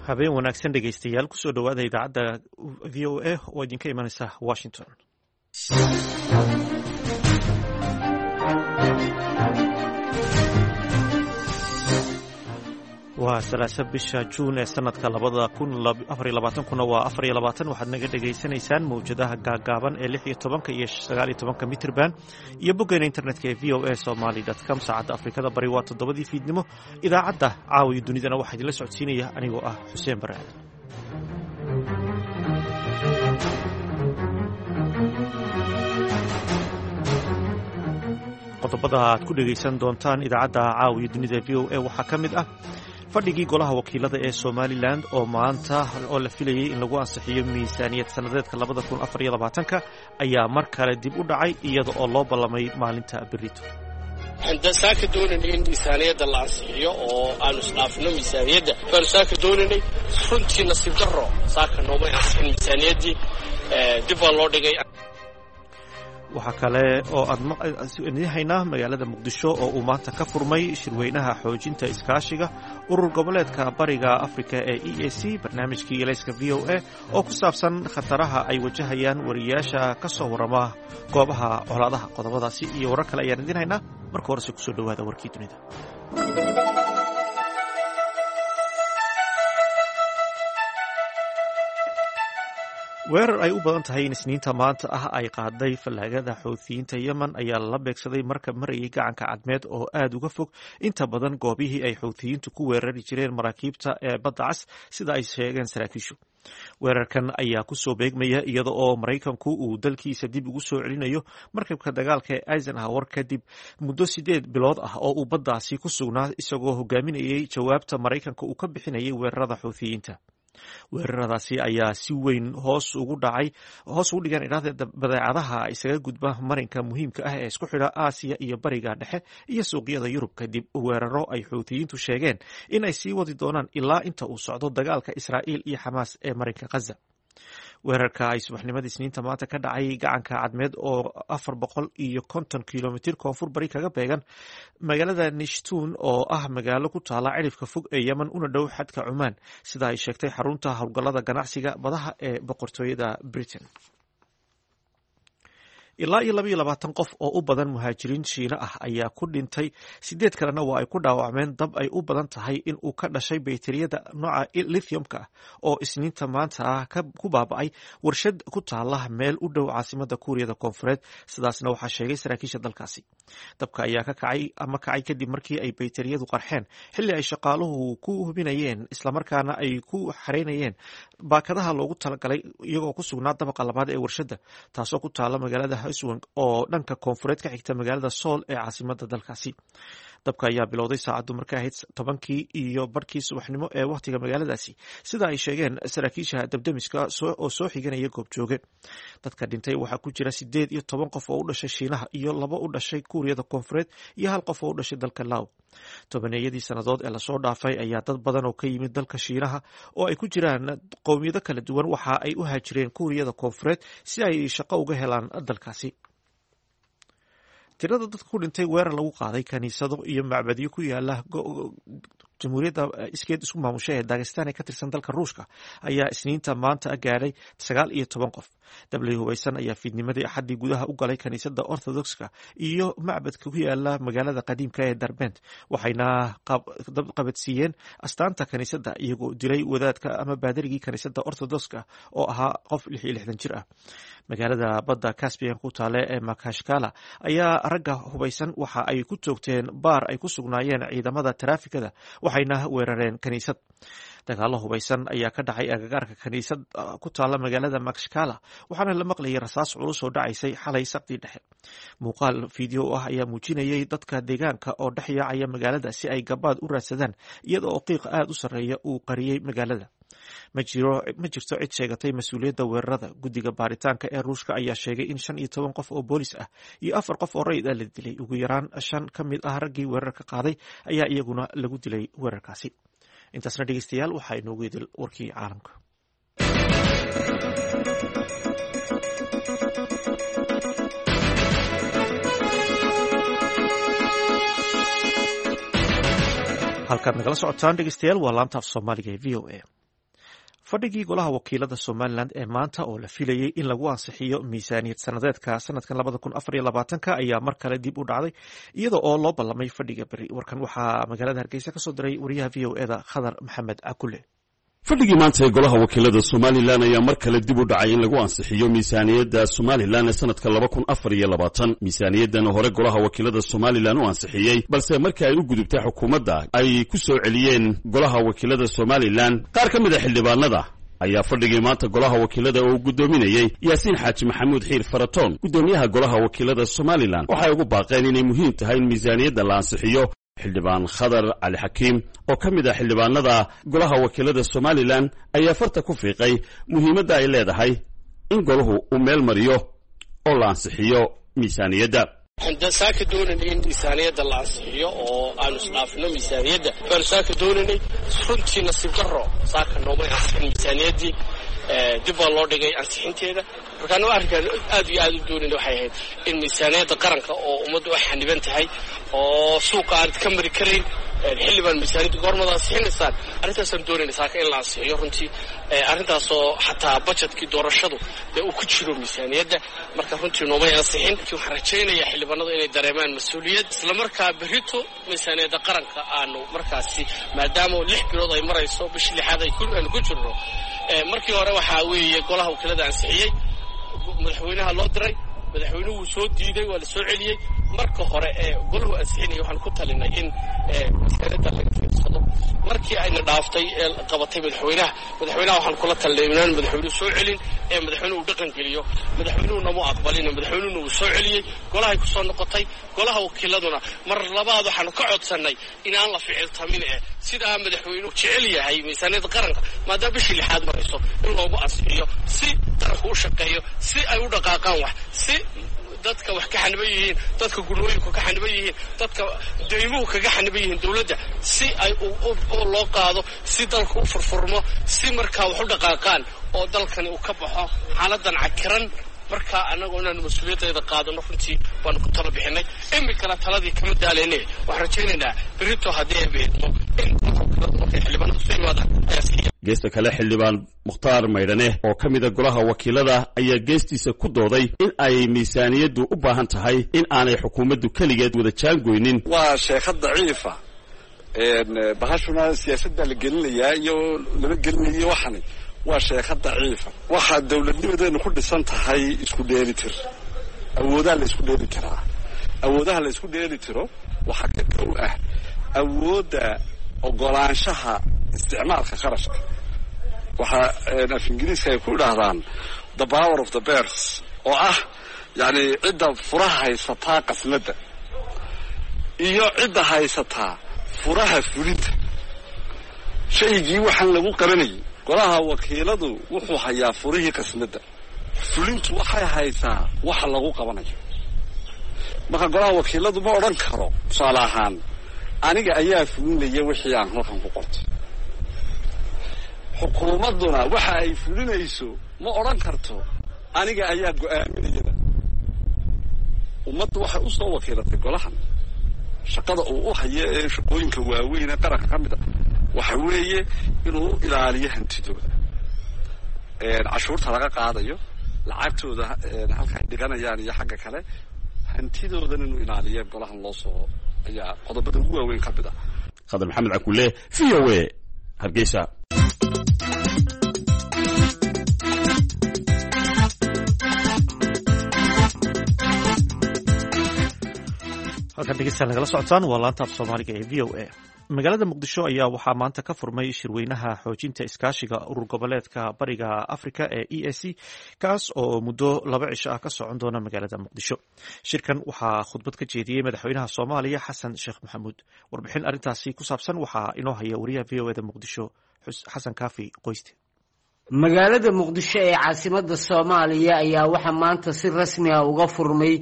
Habeen wanaagsan, dhegeystayaal. Kusoo dhowaada idaacadda VOA oo idinka imanaysa Washington. Waa 3 bisha Juun ee sanadka 2024-kuna waa 24. Waxaad naga dhegaysanaysaan mawjadaha gaagaaban ee 16 iyo 19 mitrban iyo boggeena internetka ee voasomali.com. Saacadda Afrikada Bari waa 7-dii fiidnimo. Idaacadda caawiyo dunidana waxaa idinla socodsiinaya anigoo ah Xuseen Bare Aadan. Qodobada aad ku dhegaysan doontaan idaacadda caawiyo dunida VOA waxaa ka mid ah fadhigii golaha wakiilada ee Somalilan oo maanta oo la filayey in lagu ansixiyo miisaaniyad sannadeedka 2024-ka ayaa mar kale dib u dhacay, iyada oo loo ballamay maalinta berito. Waxaan saaka doonaynay in miisaaniyadda la ansixiyo oo aanu isdhaafno miisaaniyadda baanu saaka doonaynay. Runtii nasiib darro, saaka noomay ansixin miisaaniyaddii, dib baa loo dhigay. Waxaa kale oo aad idin haynaa magaalada Muqdisho oo uu maanta ka furmay shirweynaha xoojinta iskaashiga urur goboleedka Bariga Afrika ee EAC, barnaamijkii elayska VOA oo ku saabsan khataraha ay wajahayaan wariyaasha ka soo warrama goobaha colaadaha. Qodobadaasi iyo warar kale ayaan idin haynaa. Marka horese kusoo dhowaada warkii dunida. Weerar ay u badan tahay in Isniinta maanta ah ay qaaday fallaagada Xouthiyiinta Yemen ayaa lala beegsaday markab marayay gacanka Cadmeed oo aada uga fog inta badan goobihii ay Xouthiyiintu ku weerari jireen maraakiibta ee Badda Cas, sida ay sheegeen saraakiishu. Weerarkan ayaa kusoo beegmaya iyada oo Maraykanku uu dalkiisa dib ugu soo celinayo markabka dagaalka ee Eisenhower kadib muddo 8 bilood ah oo uu baddaasi ku sugnaa, isagoo hogaaminayay jawaabta Maraykanka uu ka bixinayay weerarada Xouthiyiinta. Weeraradaasi ayaa si weyn hoos ugu dhacay, hoos ugu dhigan idhaahda, badeecadaha isaga gudba marinka muhiimka ah ee isku xidha Aasiya iyo Bariga Dhexe iyo suuqyada Yurub, kadib weeraro ay Xuutiyiintu sheegeen in ay sii wadi doonaan ilaa inta uu socdo dagaalka Israa'iil iyo Xamaas ee marinka Khaza. Weerarka ay subaxnimadii Isniinta maanta ka dhacay gacanka Cadmeed oo 450 kilomitir koonfur bari kaga beegan magaalada Nishtun, oo ah magaalo ku taala cidhifka fog ee Yemen una dhow xadka Cumaan, sida ay sheegtay xarunta howlgallada ganacsiga badaha ee boqortooyada Britain. Ilaa iyo 22 qof oo u badan muhaajiriin Shiina ah ayaa ku dhintay, sideed kalena waa ay ku dhaawacmeen dab ay u badan tahay in uu ka dhashay bayteriyada nooca lithiumka ah oo Isniinta maanta ah ku baaba'ay warshad ku taala meel u dhow caasimada Kuuriyada Koonfureed. Sidaasna waxaa sheegay saraakiisha dalkaasi. Dabka ayaa ka kacay ama kacay kadib markii ay bayteriyadu qarxeen xilli ay shaqaaluhu ku hubinayeen islamarkaana ay ku xareynayeen baakadaha loogu talagalay, iyagoo ku sugnaa dabaqa labaad ee warshadda, taasoo ku taala magaalada Hwasong oo dhanka koonfureed ka xigta magaalada Sool ee caasimada dalkaasi. Dabka ayaa bilowday saacaddu markay ahayd 10-kii iyo barkii subaxnimo ee wakhtiga magaaladaasi, sida ay sheegeen saraakiisha dabdemiska oo soo xiganaya goobjooge. Dadka dhintay waxaa ku jira 18 qof oo u dhashay Shiinaha iyo labo u dhashay Kuuriyada Koonfureed iyo hal qof oo u dhashay dalka Law. Tobaneeyadii sannadood ee lasoo dhaafay ayaa dad badan oo ka yimid dalka Shiinaha oo ay ku jiraan qowmiyado kala duwan waxa ay u haajireen Kuuriyada Koonfureed si ay shaqo uga helaan dalkaasi. Tirada dadka ku dhintay weerar lagu qaaday kaniisado iyo macbadyo ku yaala jamhuuriyadda iskeed isku maamusha ee Dagestan ee ka tirsan dalka Ruushka ayaa Isniinta maanta gaadhay 19 qof. Dabley hubaysan ayaa fiidnimadii Axaddii gudaha u galay kaniisadda Orthodoxka iyo macbadka ku yaala magaalada qadiimka ee Darbent, waxayna qabadsiiyeen astaanta kaniisadda, iyagoo dilay wadaadka ama baadarigii kaniisadda Orthodoxka oo ahaa qof 66 jir ah. Magaalada badda Caspian ku taale ee Makashkala ayaa ragga hubaysan waxa ay ku toogteen baar ay ku sugnaayeen ciidamada taraafikada, waxayna weerareen kaniisad. Dagaalo hubaysan ayaa ka dhacay agagaarka kaniisad ku taala magaalada Makashkala, waxaana la maqlayay rasaas culus oo dhacaysay xalay saqdii dhexe. Muuqaal fiideo ah ayaa muujinayay dadka deegaanka oo dhex yaacaya magaalada si ay gabaad u raadsadaan, iyada oo qiiq aada u sarreeya uu qariyey magaalada. Ma jirto cid sheegatay mas-uuliyadda weerarada. Guddiga baaritaanka ee Ruushka ayaa sheegay in 15 qof oo boolis ah iyo afar qof oo rayid ah la dilay. Ugu yaraan shan ka mid ah raggii weerarka qaaday ayaa iyaguna lagu dilay weerarkaasi. Intaasna, dhegeystayaal, waxaa inoogu idil warkii caalamka. Halkaad nagala socotaan, dhegeystayaal, waa laanta af Soomaaliga ee VOA. Fadhigii golaha wakiilada Somalilan ee maanta oo la filayey in lagu ansixiyo miisaaniyad sanadeedka sanadkan 2024 ayaa mar kale dib u dhacday, iyada oo loo ballamay fadhiga beri. Warkan waxaa magaalada Hargeysa kasoo diray wariyaha VOA-da Khadar Maxamed Cakule. Fadhigii maanta ee golaha wakiilada Somalilan ayaa mar kale dib u dhacay in lagu ansixiyo miisaaniyadda Somalilan ee sanadka 2024. Miisaaniyaddan hore golaha wakiilada Somalilan u ansixiyey, balse markii ay u gudubtay xukuumadda ay ku soo celiyeen golaha wakiilada Somalilan. Qaar ka mid a xildhibaanada ayaa fadhigii maanta golaha wakiilada oo guddoominayey Yaasiin Xaaji Maxamuud Xiir Faratoon, guddoomiyaha golaha wakiilada Somalilan, waxay ugu baaqeen inay muhiim tahay in miisaaniyadda la ansixiyo. Xildhibaan Khadar Cali Xakiim oo ka mid ah xildhibaanada golaha wakiilada Somalilan ayaa farta ku fiiqay muhiimadda ay leedahay in golahu uu meel mariyo oo la ansixiyo miisaaniyadda. Waxaan saaka doonaynay in miisaaniyadda la ansixiyo oo aanu isdhaafino miisaaniyadda baanu saaka doonaynay. Runtii nasiib darro, saaka noomay ansixin miisaaniyaddii, dib baa loo dhigay ansixinteeda. Marka anago arrinkaan aad iyo aad u doonayna waxay ahayd in miisaaniyadda qaranka oo ummaddu ay xaniban tahay oo suuqa aanad ka mari karayn, xilli baan miisaaniyadda goormada ansixinaysaan? Arrintaasaan doonayna saaka in la ansixiyo runtii, arrintaasoo xataa budgetkii doorashadu dee uu ku jiro miisaaniyadda. Marka runtii noomay ansixin. Waxaan rajaynayaa xildhibaanadu inay dareemaan mas-uuliyad, islamarkaa berrito miisaaniyadda qaranka aanu markaasi, maadaama 6 bilood ay marayso, bishii lixaad aanu ku jirno. Markii hore waxaa weeye golaha wakiilada ansixiyey, madaxweynaha loo diray, madaxweynuhu wuu soo diiday, waa la soo celiyey. Marka hore ee golahu ansixinaya waxaan ku talinay in miisaaniyadda laga fiirsado. Markii ayna dhaaftay ee qabatay madaxweynaha, madaxweynaha waxaan kula talinay inaan madaxweynuhu soo celin ee madaxweynuhu uu dhaqan geliyo. Madaxweynuhuna mu aqbalin, madaxweynuhuna wuu soo celiyey, golahay ku soo noqotay. Golaha wakiiladuna mar labaad waxaanu ka codsannay inaan la ficiltamin ee sidaa madaxweynuhu jecel yahay miisaaniyadda qaranka, maadaama bishii lixaad marayso, in loogu ansixiyo si qaranku u shaqeeyo, si ay u dhaqaaqaan wax, si dadka wax ka xaniban yihiin, dadka gunooyinku ka xaniban yihiin, dadka deymuhu kaga xaniban yihiin dowladda, si ay loo qaado, si dalku u furfurmo, si markaa wax u dhaqaaqaan oo dalkani uu ka baxo xaaladan cakiran. Markaa annagoo inaanu mas-uuliyaddeeda qaadano runtii baanu ku talo bixinay. Iminkana taladii kama daalayne, waxaan rajaynaynaa berrito haddii ay beedmo in markay xildhibaanadu soo yimaadaan ayaa siiya. Geesta kale, xildhibaan Mukhtaar Maydhane oo ka mida golaha wakiilada ayaa geestiisa ku dooday in ay miisaaniyaddu u baahan tahay in aanay xukuumaddu keligeed wada jaangoynin. Waa sheekha daciifa, bahashuna siyaasaddaa la gelinayaa iyo lama gelinayo. Waxani waa sheekha daciifa. Waxaa dowladnimadeenu ku dhisan tahay isku dheeli tir, awoodaha la isku dheeli tiraa. Awoodaha la isku dheeli tiro waxaa ka kow ah awoodda ogolaanshaha isticmaalka kharashka. Waxaa af Ingiriiska ay ku idhaahdaan the power of the purse, oo ah yacni cidda furaha haysataa qasnadda iyo cidda haysataa furaha fulinta shaygii waxaan lagu qabanayay. Golaha wakiiladu wuxuu hayaa furihii qasnadda, fulintu waxay haysaa waxa lagu qabanayo. Marka golaha wakiiladu ma odhan karo, tusaale ahaan, aniga ayaa fulinaya wixii aan halkan ku qortay. Xukuumadduna waxa ay fulinayso ma odhan karto aniga ayaa go-aaminayada. Ummaddu waxay u soo wakiilatay golahan. Shaqada uu u hayo ee shaqooyinka waaweyn ee qaranka ka mid a waxa weeye inuu ilaaliyo hantidooda, cashuurta laga qaadayo, lacagtooda halka ay dhiganayaan iyo xagga kale hantidoodan inuu ilaaliyo golahan loo soo ayaa qodobada ugu waaweyn ka mid ah. Khadar Maxamed Cakule, VOA, Hargeysa. Halkan dhegeystayaal nagala socotaan waa laanta af Soomaaliga ee VOA. Magaalada Muqdisho ayaa waxaa maanta ka furmay shirweynaha xoojinta iskaashiga urur goboleedka Bariga Africa ee EAC, kaas oo muddo 2 cisho ah ka socon doona magaalada Muqdisho. Shirkan waxaa khudbad ka jeediyey madaxweynaha Soomaaliya Xasan Sheekh Maxamuud. Warbixin arrintaasi ku saabsan waxaa inoo haya wariyaha VOA-da Muqdisho, Xasan Kaafi Qoyste. Magaalada Muqdisho ee caasimada Soomaaliya ayaa waxaa maanta si rasmi ah uga furmay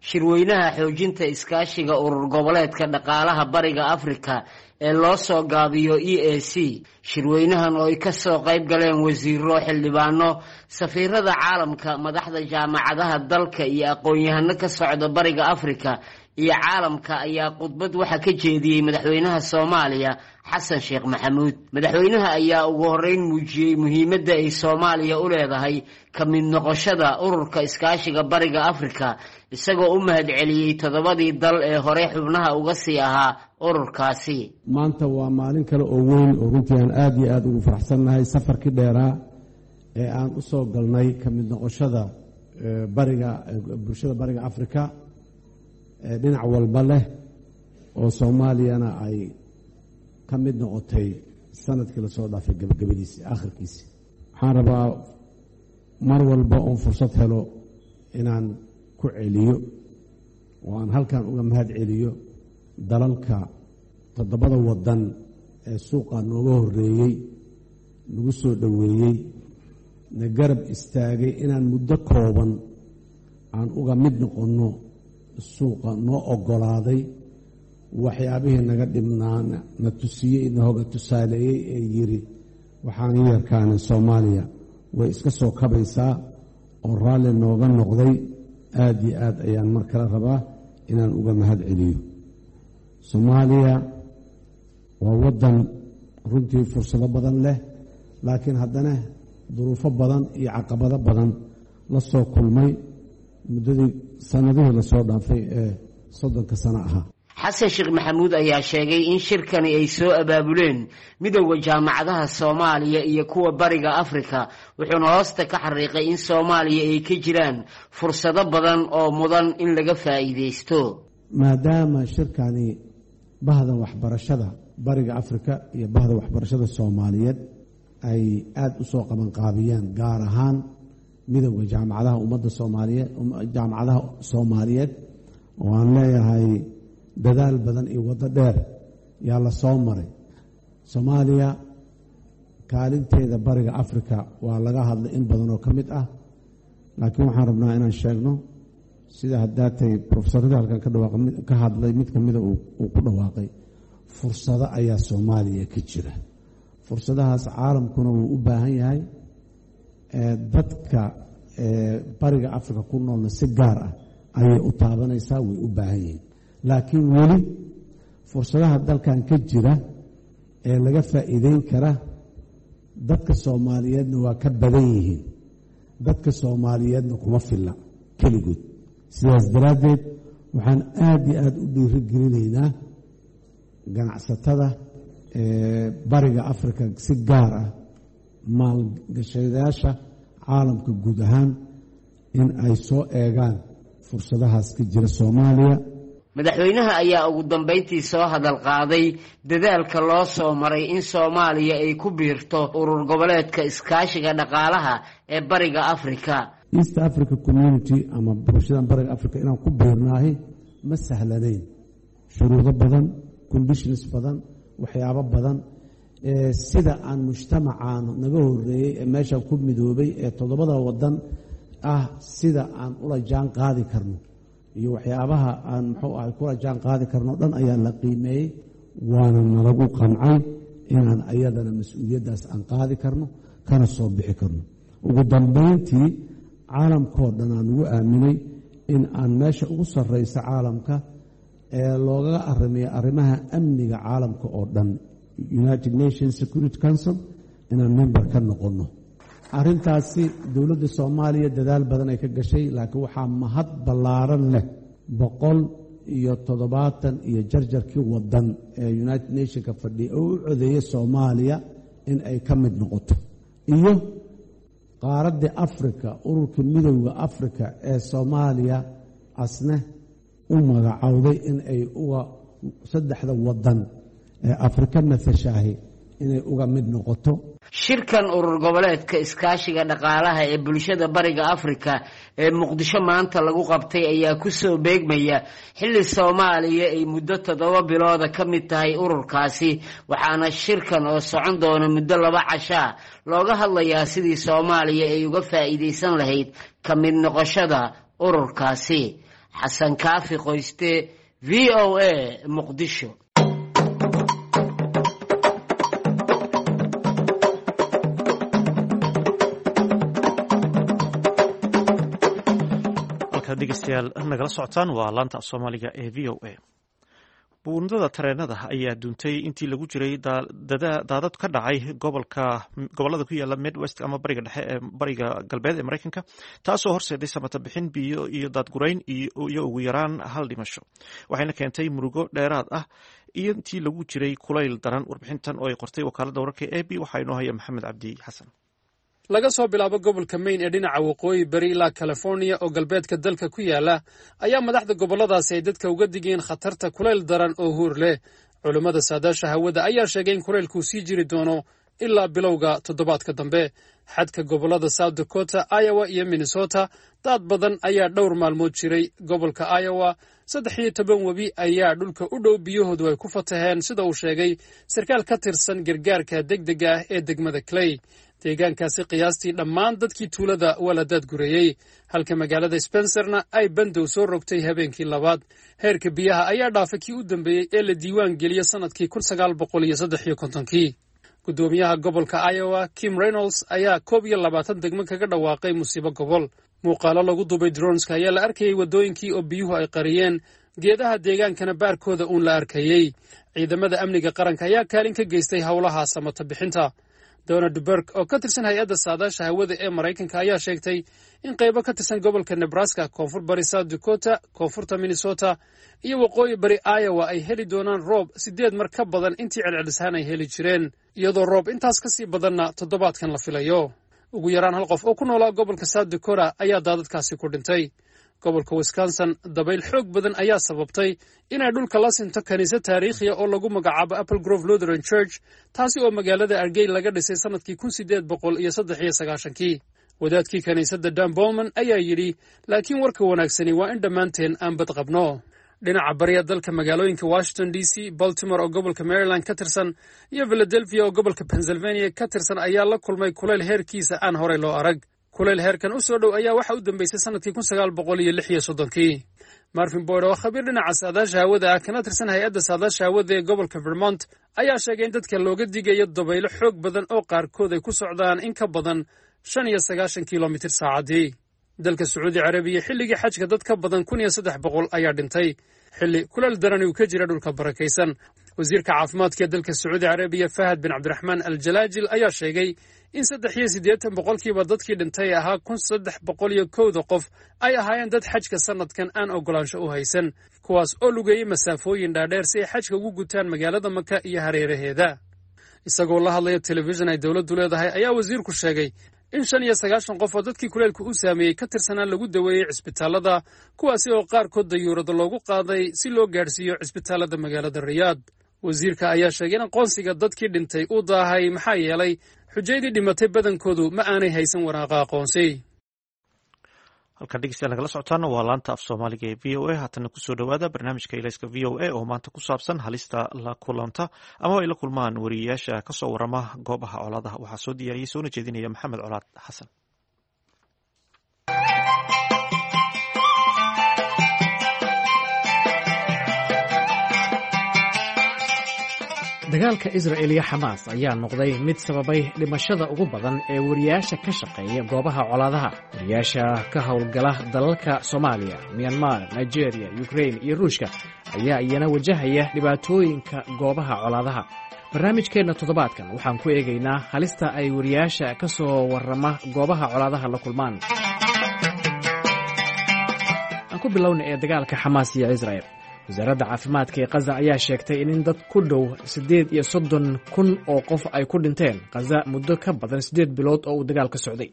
shirweynaha xoojinta iskaashiga urur goboleedka dhaqaalaha Bariga Afrika ee loo soo gaabiyo EAC. Shirweynahan oo ay kasoo qayb galeen wasiiro, xildhibaano, safiirada caalamka, madaxda jaamacadaha dalka iyo aqoon-yahano ka socda Bariga Afrika iyo caalamka ayaa khudbad waxaa ka jeediyey madaxweynaha Soomaaliya Xasan Sheekh Maxamuud. Madaxweynaha ayaa ugu horreyn muujiyey muhiimadda ay Soomaaliya u leedahay ka mid noqoshada ururka iskaashiga Bariga Afrika, isagoo u mahadceliyey 7dii dal ee horey xubnaha uga sii ahaa ururkaasi. Maanta waa maalin kale oo weyn oo runtii aan aada iyo aada ugu faraxsannahay safarkii dheeraa ee aan u soo galnay ka mid noqoshada bariga bulshada Bariga Afrika ee dhinac walba leh, oo Soomaaliyana ay ka mid noqotay sanadkii lasoo dhaafay gabagabadiisi akhirkiisi. Waxaan rabaa mar walba oon fursad helo inaan ku celiyo oo aan halkan uga mahad celiyo dalalka 7da waddan ee suuqa nooga horreeyey, nagu soo dhoweeyey, na garab istaagay inaan muddo kooban aan uga mid noqonno suuqa, noo oggolaaday waxyaabihii naga dhibnaa na tusiyey, na hoga tusaaleeyey ee yiri waxaan yarkaana Soomaaliya way iska soo kabaysaa, oo raalli nooga noqday. Aada iyo aad ayaan mar kale rabaa inaan uga mahad celiyo. Soomaaliya waa waddan runtii fursado badan leh, laakiin haddana duruufo badan iyo caqabado badan la soo kulmay muddadii sanadihii lasoo dhaafay ee 30ka sano ahaa. Xasan Sheekh Maxamuud ayaa sheegay in shirkani ay soo abaabuleen midowda jaamacadaha Soomaaliya iyo kuwa Bariga Afrika, wuxuuna hoosta ka xariiqay in Soomaaliya ay ka jiraan fursado badan oo mudan in laga faa'iidaysto. Maadaama shirkani bahda waxbarashada Bariga Afrika iyo bahda waxbarashada Soomaaliyeed ay aada u soo qabanqaabiyeen, gaar ahaan midowda jaamacadaha ummadda Soomaaliyeed, jaamacadaha Soomaaliyeed, oo aan leeyahay dadaal badan iyo waddo dheer yaa la soo maray. Soomaaliya kaalinteeda Bariga Afrika waa laga hadlay in badan oo ka mid ah, laakiin waxaan rabnaa inaan sheegno sida haddaatay profesorada halkan ka hadlay mid kamida uu ku dhawaaqay, fursado ayaa Soomaaliya ka jira. Fursadahaas caalamkuna wuu u baahan yahay, dadka Bariga Afrika ku noolna si gaar ah ayay u taabanaysaa, way u baahan yihiin. Laakiin weli fursadaha dalkan ka jira ee laga faa'iideyn kara dadka Soomaaliyeedna waa ka badan yihiin, dadka Soomaaliyeedna kuma filla keligood. Sidaas daraaddeed waxaan aada iyo aada u dhiirigelinaynaa ganacsatada Bariga Afrika, si gaar ah maalgashadayaasha caalamka guud ahaan, in ay soo eegaan fursadahaas ka jira Soomaaliya. Madaxweynaha ayaa ugu dambeyntii soo hadal qaaday dadaalka loo soo maray in Soomaaliya ay ku biirto urur goboleedka iskaashiga dhaqaalaha ee Bariga Afrika. East Africa Community ama bulshadan Bariga Africa inaan ku biirnaahi ma sahlanayn, shuruudo badan, conditions badan, waxyaabo badan, sida aan mujtamacaan naga horeeyey ee meeshaan ku midoobay ee 7da waddan ah sida aan ula jaan qaadi karno iyo waxyaabaha aan muxuu ahay kula jaan qaadi karno dhan ayaa la qiimeeyey, waana nalagu qancay inaan ayadana mas-uuliyaddaas aan qaadi karno kana soo bixi karno. Ugu dambayntii caalamkoo dhan aan ugu aaminay in aan meesha ugu sarreysa caalamka ee loogaga arrimiyo arrimaha amniga caalamka oo dhan, United Nations Security Council, inaan member ka noqonno. Arrintaasi dowladda Soomaaliya dadaal badan ay ka gashay, laakiin waxaa mahad ballaaran leh 170 iyo jarjarkii waddan ee United Nationka fadhiya oo u codeeyay Soomaaliya in ay ka mid noqoto, iyo qaaradda Afrika, ururka midowda Afrika ee Soomaaliya asne u magacowday in ay uga 3da waddan ee Afrika matashahi inay uga mid noqoto. Shirkan urur goboleedka iskaashiga dhaqaalaha ee bulshada Bariga Afrika ee Muqdisho maanta lagu qabtay ayaa ku soo beegmaya xilli Soomaaliya ay muddo 7 bilooda ka mid tahay ururkaasi, waxaana shirkan oo socon doona muddo 2 cashaa looga hadlayaa sidii Soomaaliya ay uga faa'iidaysan lahayd ka mid noqoshada ururkaasi. Xasan Kaafi Qoyste, VOA, Muqdisho. Halkaad dhegeystayaal nagala socotaan waa laanta af Soomaaliga ee VOA. Buundada tareenada ayaa duntay intii lagu jiray daadad ka dhacay gobolka gobolada ku yaala Midwest ama bariga dhexe ee bariga galbeed ee Maraykanka, taasoo horseeday samata bixin, biyo iyo daadgurayn iyo ugu yaraan hal dhimasho, waxayna keentay murugo dheeraad ah iyo intii lagu jiray kulayl daran. Warbixintan oo ay qortay wakaaladda wararka AP waxaa inoo haya Maxamed Cabdi Xasan. Laga soo bilaabo gobolka Maine ee dhinaca waqooyi bari ilaa California oo galbeedka dalka ku yaala ayaa madaxda gobolladaasi ay dadka uga digeen khatarta kulayl daran oo huur leh. Culummada saadaasha hawada ayaa sheegay in kulaylkuu sii jiri doono ilaa bilowga toddobaadka dambe. Xadka gobollada South Dakota, Iowa iyo Minnesota daad badan ayaa dhowr maalmood jiray. Gobolka Iowa 13 webi ayaa dhulka u dhow biyahoodu ay ku fataheen, sida uu sheegay sarkaal ka tirsan gargaarka degdega ah ee degmada Clay. Deegaankaasi qiyaastii dhammaan dadkii tuulada waa la daadgureeyey, halka magaalada Spencerna ay bandow soo rogtay habeenkii labaad. Heerka biyaha ayaa dhaafay kii u dambeeyey ee la diiwaan geliyo sannadkii 1953-kii. Guddoomiyaha gobolka Iowa Kim Reynolds ayaa 21 degmo kaga dhawaaqay musiibo gobol. Muuqaalo lagu duubay droneska ayaa la arkayey waddooyinkii oo biyuhu ay qariyeen, geedaha deegaankana baarkooda uun la arkayey. Ciidamada amniga qaranka ayaa kaalin ka geystay howlaha samata bixinta. Donald Burke oo ka tirsan hay-adda saadaasha hawada ee Maraykanka ayaa sheegtay in qaybo ka tirsan gobolka Nebraska, koonfur bari South Dakota, koonfurta Minnesota iyo waqooyi bari Iowa ay heli doonaan roob sideed mar ka badan intii celcelishaan ay heli jireen, iyadoo roob intaas ka sii badanna toddobaadkan la filayo. Ugu yaraan hal qof oo ku noolaa gobolka South Dakota ayaa daadadkaasi ku dhintay. Gobolka Wisconsin dabayl xoog badan ayaa sababtay inay dhulka la sinto kiniisad taariikhiya oo lagu magacaabo Apple Grove Lutheran Church, taasi oo magaalada Argey laga dhisay sannadkii 1893-kii. Wadaadkii kiniisadda Dan Bolman ayaa yidhi, "Laakiin warka wanaagsani waa in dhammaanteen aan bad qabno." Dhinaca bariya dalka magaalooyinka Washington DC, Baltimore oo gobolka Maryland ka tirsan iyo Philadelphia oo gobolka Pennsylvania ka tirsan ayaa la kulmay kulayl heerkiisa aan horey loo arag. Kulayl heerkan u soo dhow ayaa waxa u dambeysay sannadkii 1936-kii. Marvin Boyd oo khabiir dhinaca saadaasha hawada ah kana tirsan hay-adda saadaasha hawada ee gobolka Vermont ayaa sheegay in dadka looga digayo dabaylo xoog badan oo qaarkood ay ku socdaan in ka badan 95 kilomitir saacaddii. Dalka Sacuudi Carabiya xilligii xajka dad ka badan 1300 ayaa dhintay xilli kuleel darani uu ka jira dhulka barakaysan. Wasiirka caafimaadka ee dalka Sacuudi Carabiya Fahad bin Cabdiraxmaan Al Jalaajil ayaa sheegay in 83% dadkii dhintay ahaa 1301-da qof ay ahaayeen dad xajka sanadkan aan ogolaansho u haysan, kuwaas oo lugeeyey masaafooyin dhaadheer si ay xajka ugu gutaan magaalada Maka iyo hareeraheeda. Isagoo la hadlaya telefishin ay dowladdu leedahay ayaa wasiirku sheegay in 95 qof oo dadkii kuleelku u saameeyey ka tirsanaa lagu daweeyey cisbitaalada, kuwaasi oo qaarkood dayuurado loogu qaaday si loo gaadhsiiyo cisbitaalada magaalada Riyaad. Wasiirka ayaa sheegay in aqoonsiga dadkii dhintay uu daahay, maxaa yeelay xujaydii dhimatay badankoodu ma aanay haysan waraaqa aqoonsi. Halkaan dhegeystayaal nagala socotaana waa laanta af Soomaaliga ee VOA. Haatana kusoo dhowaada barnaamijka Ilayska VOA oo maanta ku saabsan halista la kulanta ama ay la kulmaan wariyeyaasha kasoo warama goobaha colaadaha. Waxaa soo diyaariyey soona jeedinaya Maxamed Colaad Xasan. Dagaalka Israel iyo Xamaas ayaa noqday mid sababay dhimashada ugu badan ee wariyaasha ka shaqeeya goobaha colaadaha. Wariyaasha ka howlgala dalalka Soomaaliya, Myanmar, Nigeria, Ukrain iyo Ruushka ayaa iyana wajahaya dhibaatooyinka goobaha colaadaha. Barnaamijkeenna toddobaadkan waxaan ku eegaynaa halista ay wariyaasha ka soo warrama goobaha colaadaha la kulmaan. Aan ku bilowna ee dagaalka Xamaas iyo Israel. Wasaaradda caafimaadka ee Khaza ayaa sheegtay in dad ku dhow 38,000 oo qof ay ku dhinteen Khaza muddo ka badan 8 bilood oo uu dagaalka socday.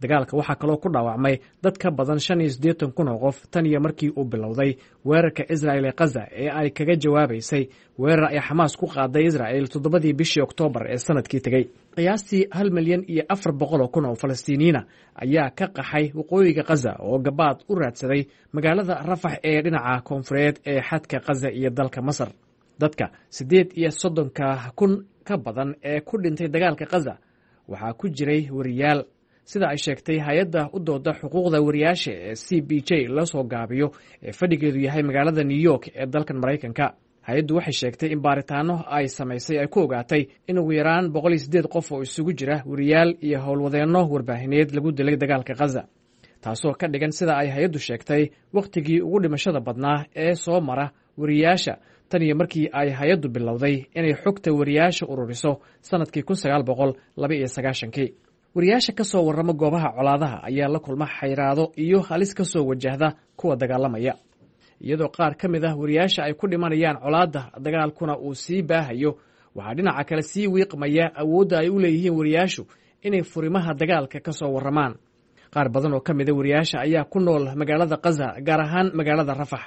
Dagaalka waxaa kaloo ku dhaawacmay dad ka badan 85,000 oo qof tan iyo markii uu bilowday weerarka Israel ee Khaza ee ay kaga jawaabaysay weerar ay Xamaas ku qaaday Israel 7-dii bishii Oktoobar ee sanadkii tegey. Qiyaastii 1,400,000 oo Falastiiniyiina ayaa ka qaxay waqooyiga Khaza oo gabaad u raadsaday magaalada Rafax ee dhinaca koonfureed ee xadka Khaza iyo dalka Masar. Dadka 38,000 ka badan ee ku dhintay dagaalka Khaza waxaa ku jiray wariyaal, sida ay sheegtay hay-adda u dooda xuquuqda wariyaasha ee CPJ la soo gaabiyo ee fadhigeedu yahay magaalada New York ee dalkan Maraykanka. Hay-addu waxay sheegtay in baaritaano ay samaysay ay ku ogaatay in ugu yaraan 108 qof oo isugu jira wariyaal iyo howlwadeenno warbaahineed lagu dilay dagaalka Khaza. Taasoo ka dhigan, sida ay hay-addu sheegtay, wakhtigii ugu dhimashada badnaa ee soo mara wariyaasha tan iyo markii ay hay-addu bilowday inay xogta wariyaasha ururiso sannadkii 1992-kii. Wariyaasha ka soo warrama goobaha colaadaha ayaa la kulma xayraado iyo halis ka soo wajahda kuwa dagaalamaya, iyadoo qaar ka mid ah wariyaasha ay ku dhimanayaan colaadda, dagaalkuna uu sii baahayo. Waxaa dhinaca kale sii wiiqmaya awoodda ay u leeyihiin wariyaashu inay furimaha dagaalka ka soo warramaan. Qaar badan oo ka mida wariyaasha ayaa ku nool magaalada Kaza, gaar ahaan magaalada Rafax.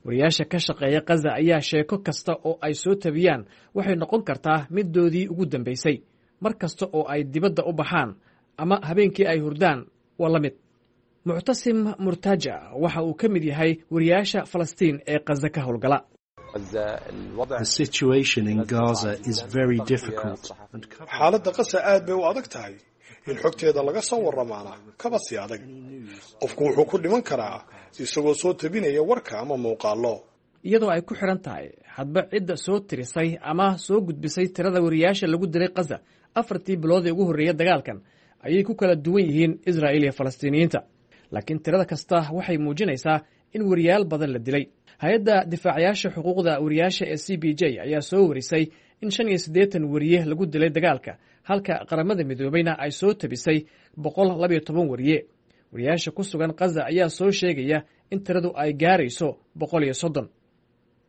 Wariyaasha ka shaqeeya Kaza ayaa sheeko kasta oo ay soo tabiyaan waxay noqon kartaa middoodii ugu dambaysay. Mar kasta oo ay dibadda u baxaan ama habeenkii ay hurdaan waa la mid. Muctasim Murtaja waxa uu ka mid yahay wariyaasha Falastiin ee Kaza ka howlgala. Xaaladda Qasa aad bay u adag tahay, in xogteeda laga soo warramaana kaba sii adag. Qofku wuxuu ku dhiman karaa isagoo soo tabinaya warka ama muuqaallo. Iyadoo ay ku xidhan tahay hadba cidda soo tirisay ama soo gudbisay tirada wariyaasha lagu dilay Kaza 4-tii bilood ee ugu horreeya dagaalkan ayay ku kala duwan yihiin Israa'iil iyo Falastiiniyiinta, laakiin tirada kasta waxay muujinaysaa in wariyaal badan la dilay. Hay-adda difaacayaasha xuquuqda wariyaasha ee CPJ ayaa soo warisay in 85 wariye lagu dilay dagaalka, halka Qaramada Midoobeyna ay soo tabisay 112 wariye. Wariyaasha ku sugan Kaza ayaa soo sheegaya in tiradu ay gaarayso 130.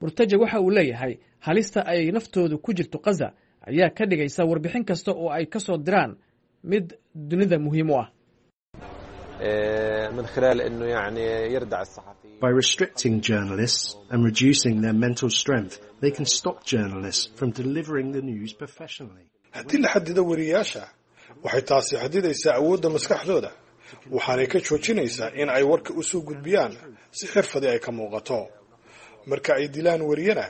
Murtaja waxa uu leeyahay halista ay naftoodu ku jirto Kaza ayaa ka dhigaysa warbixin kasta oo ay ka soo diraan mid dunida muhiim u ah. By restricting journalists and reducing their mental strength, they can stop journalists from delivering the news professionally. Haddii la xadido wariyaasha, waxay taasi xadidaysaa awoodda maskaxdooda, waxaanay ka joojinaysaa in ay warka u soo gudbiyaan si xirfadii ay ka muuqato. Marka ay dilaan wariyana,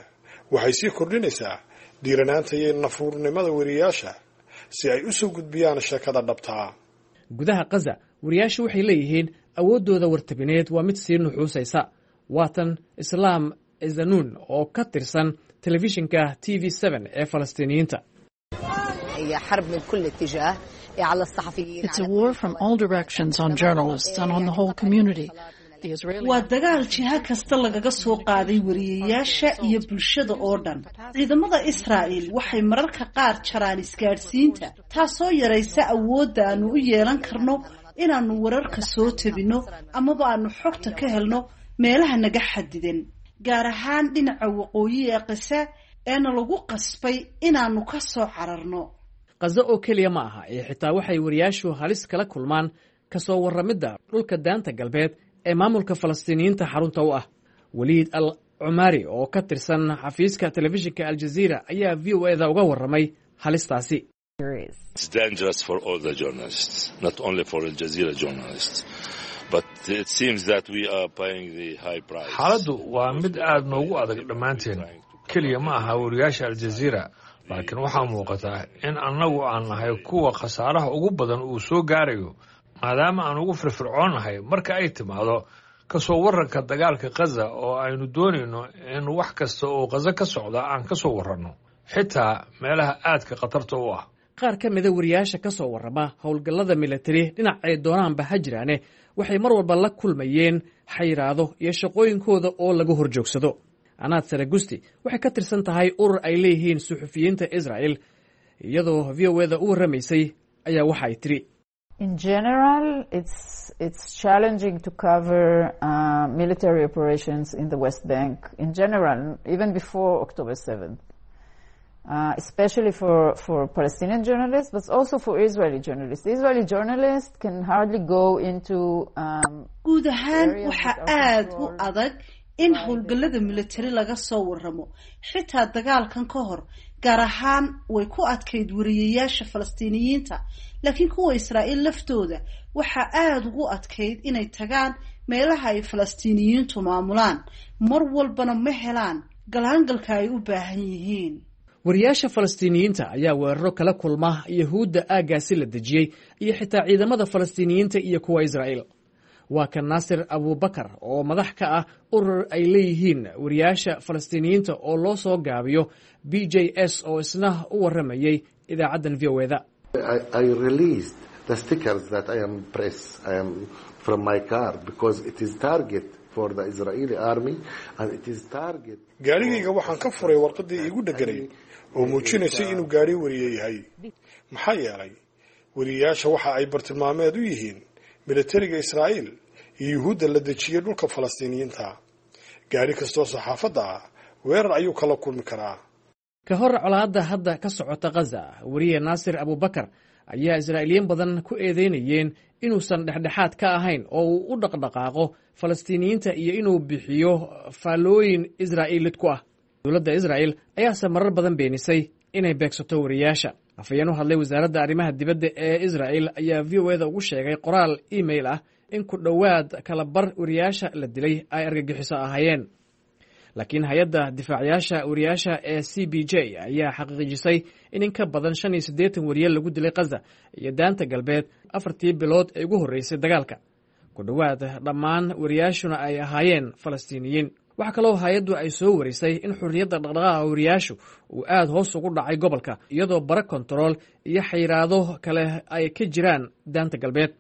waxay sii kordhinaysaa dhiiranaanta iyo nafuurnimada wariyaasha si ay u soo gudbiyaan sheekada dhabtaa. Gudaha Kaza wariyaashu waxay leeyihiin awooddooda wartabineed waa mid sii nuxuusaysa. Waatan Islaam Ezanuun oo ka tirsan telefishinka TV ee Falastiiniyiinta. It's a war from all directions on journalists and on the whole community. Waa dagaal jiha kasta lagaga soo qaaday wariyayaasha iyo bulshada oo dhan. Ciidamada Israa'il waxay mararka qaar jaraan isgaadhsiinta, taasoo yaraysa awoodda aanu u yeelan karno inaannu wararka soo tabinno amaba aanu xogta ka helno meelaha naga xadidan, gaar ahaan dhinaca waqooyi ee Qasa eena lagu qasbay inaannu ka soo cararno. Kaza oo keliya ma aha ee xitaa waxay wariyaashu halis kala kulmaan ka soo warramidda dhulka Daanta Galbeed ee maamulka Falastiiniyiinta xarunta u ah. Waliid Al Cumaari oo ka tirsan xafiiska telefishinka Aljaziira ayaa VOA da uga warramay halistaasi. It's dangerous for all the journalists, not only for Al Jazeera journalists. But it seems that we are paying the high price. Xaaladdu waa mid aad noogu adag dhammaanteen. Keliya ma aha wariyaasha Aljaziira, laakiin waxaa muuqataa in annagu aan nahay kuwa khasaaraha ugu badan uu soo gaarayo, maadaama aan ugu firfircoonnahay marka ay timaado ka soo warranka dagaalka Khaza, oo aynu doonayno in wax kasta oo Khaza ka socda aan ka soo warranno, xitaa meelaha aadka khatarta u ah. Qaar ka mida wariyaasha ka soo warrama howlgallada militari dhinacay doonaanba ha jiraane waxay mar walba la kulmayeen xayiraado iyo shaqooyinkooda oo lagu hor joogsado. Anaad Saragusti waxay ka tirsan tahay urur ay leeyihiin suxufiyiinta Israa'el. Iyadoo VOA da u warramaysay ayaa waxa ay tiri: In general, it's challenging to cover military operations in the West Bank in general, even before October 7th. Especially for Palestinian journalists, but also for Israeli journalists. Israeli journalists can hardly go into Guud ahaan waxaa aad u adag in howlgallada militari laga soo warramo, xitaa dagaalkan ka hor. Gaar ahaan way ku adkayd wariyayaasha Falastiiniyiinta, laakiin kuwa Israa'iil laftooda waxaa aada ugu adkayd inay tagaan meelaha ay Falastiiniyiintu maamulaan. Mar walbana ma helaan galaangalka ay u baahan yihiin. Wariyaasha Falastiiniyiinta ayaa weeraro kala kulma Yahuudda aaggaasi la dejiyey iyo xitaa ciidamada Falastiiniyiinta iyo kuwa Israa'iil. Waa kan Naasir Abubakar oo madax ka ah urur ay leeyihiin wariyaasha Falastiiniyiinta oo loo soo gaabiyo BJS oo isna u warramayey idaacaddan VOA da. the stickers that I am press, I am from my car, because it is target for the Israeli army and it is target. Gaadhigayga waxaan ka furay warqaddii iigu dheganayd oo muujinaysay inuu gaadhi wariye yahay. Maxaa yeelay wariyeyaasha waxa ay bartilmaameed u yihiin militariga Israa'iil iyo yuhuudda la dejiyey dhulka Falastiiniyiinta. Gaadhi kastoo saxaafadda ah weerar ayuu kala kulmi karaa. Ka hor colaadda hadda ka socota Khaza, weriye Naasir Abubakar ayaa Israa'iiliyiin badan ku eedeynayeen inuusan dhexdhexaad ka ahayn oo uu u dhaqdhaqaaqo Falastiiniyiinta iyo inuu bixiyo faallooyin Israa'iil lid ku ah. Dowladda Israa'il ayaase marar badan beenisay inay beegsato wariyaasha. Afhayeen u hadlay wasaaradda arrimaha dibadda ee Israa'il ayaa VOA da ugu sheegay qoraal email ah in ku dhowaad kala bar wariyaasha la dilay ay argagixiso ahaayeen. Laakiin hay-adda difaacayaasha wariyaasha ee CPJ ayaa xaqiijisay in ka badan 85 wariye lagu dilay Khaza iyo Daanta Galbeed 4-tii bilood ee ugu horreysay dagaalka, ku dhowaad dhammaan wariyaashuna ay ahaayeen Falastiiniyiin. Waxaa kaloo hay-addu ay soo warisay in xurriyadda dhaqdhaqaaqa wariyaashu uu aad hoos ugu dhacay gobolka, iyadoo bara kontarool iyo xayiraado kale ay ka jiraan Daanta Galbeed.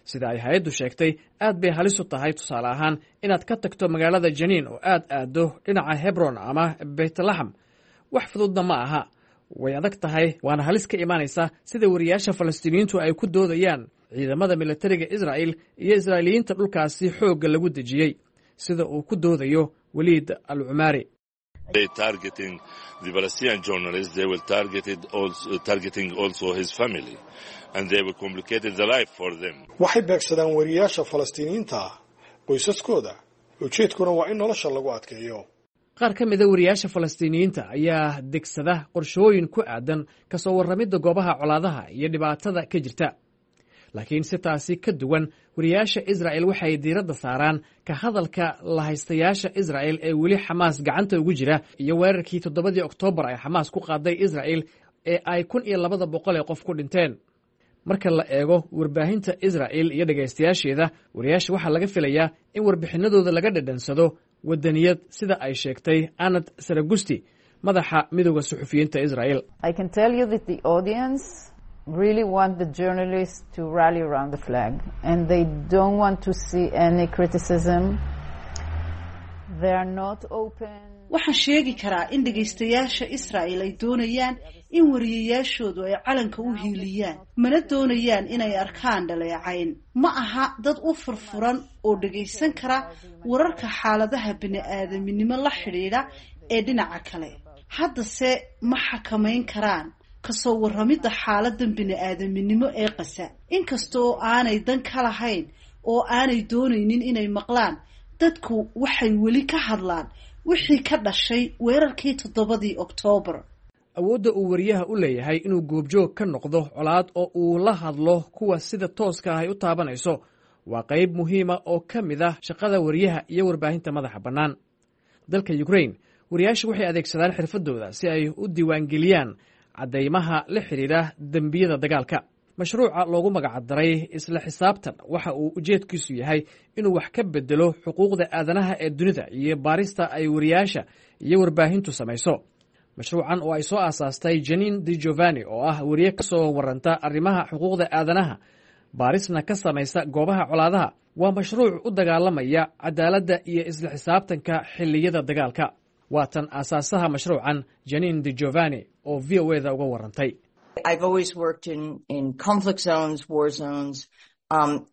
Sida ay hay-addu sheegtay, aad bay halis u tahay, tusaale ahaan, inaad ka tagto magaalada Janiin oo aad aaddo dhinaca Hebron ama Beytlaxam. Wax fududna ma aha, way adag tahay, waana halis ka imaanaysa sida wariyaasha Falastiiniyiintu ay ku doodayaan ciidamada militariga Israa'il iyo Israa'iiliyiinta dhulkaasi xoogga lagu dejiyey, sida uu ku doodayo Waliid Al Cumaari. They targeting the Palestinian journalists, they were targeted also, targeting also his family, and they were complicated the life for them. Waxay beegsadaan wariyaasha Falastiiniyiinta ah, qoysaskooda, ujeedkuna waa in nolosha lagu adkeeyo. Qaar ka mida wariyaasha Falastiiniyiinta ayaa degsada qorshooyin ku aadan kasoo warramidda goobaha colaadaha iyo dhibaatada ka jirta. Laakiin si taasi ka duwan, wariyaasha Israa'el waxay diiradda saaraan ka hadalka lahaystayaasha Israa'el ee weli Xamaas gacanta ugu jira iyo weerarkii 7-dii Oktoobar ay Xamaas ku qaaday Israa'el ee ay 1200 ee qof ku dhinteen. Marka la eego warbaahinta Israa'il iyo dhegaystayaasheeda, wariyaasha waxaa laga filayaa in warbixinadooda laga dhadhansado wadaniyad, sida ay sheegtay Anad Saragusti, madaxa Midowda Suxufiyiinta Israa'el. I can tell you that the audience really want the journalists to rally around the flag, and they don't want to see any criticism. They are not open. Waxaan sheegi karaa in dhegaystayaasha Israa'il ay doonayaan in wariyayaashoodu ay calanka u hiiliyaan, mana doonayaan inay arkaan dhaleecayn. Ma aha dad u furfuran oo dhegaysan kara wararka xaaladaha bini-aadaminimo la xidhiidha ee dhinaca kale. Haddase ma xakamayn karaan kasoo warramidda xaaladan bini-aadaminimo ee Qasa, inkasta oo aanay dan ka lahayn oo aanay doonaynin inay maqlaan. Dadku waxay weli ka hadlaan wixii ka dhashay weerarkii 7-dii Oktoobar. Awoodda uu wariyaha u leeyahay inuu goobjoog ka noqdo colaad oo uu la hadlo kuwa sida tooska ah ay u taabanayso waa qayb muhiima oo ka mid ah shaqada wariyaha iyo warbaahinta madaxa bannaan. Dalka Ukrain, wariyaashu waxay adeegsadaan xirfadooda si ay u diiwaangeliyaan caddaymaha la xidhiidha dembiyada dagaalka. Mashruuca loogu magacdaray Isla Xisaabtan waxa uu ujeedkiisu yahay inuu wax ka bedelo xuquuqda aadanaha ee dunida iyo baarista ay wariyaasha iyo warbaahintu samayso. Mashruucan oo ay soo aasaastay Janin Di Giovanni, oo ah wariye ka soo waranta arrimaha xuquuqda aadanaha, baarisna ka samaysa goobaha colaadaha, waa mashruuc u dagaalamaya cadaaladda iyo isla xisaabtanka xilliyada dagaalka. Waatan aasaasaha mashruucan, Janin Di Giovanni, oo VOA da uga warantay. I've always worked in conflict zones, war zones,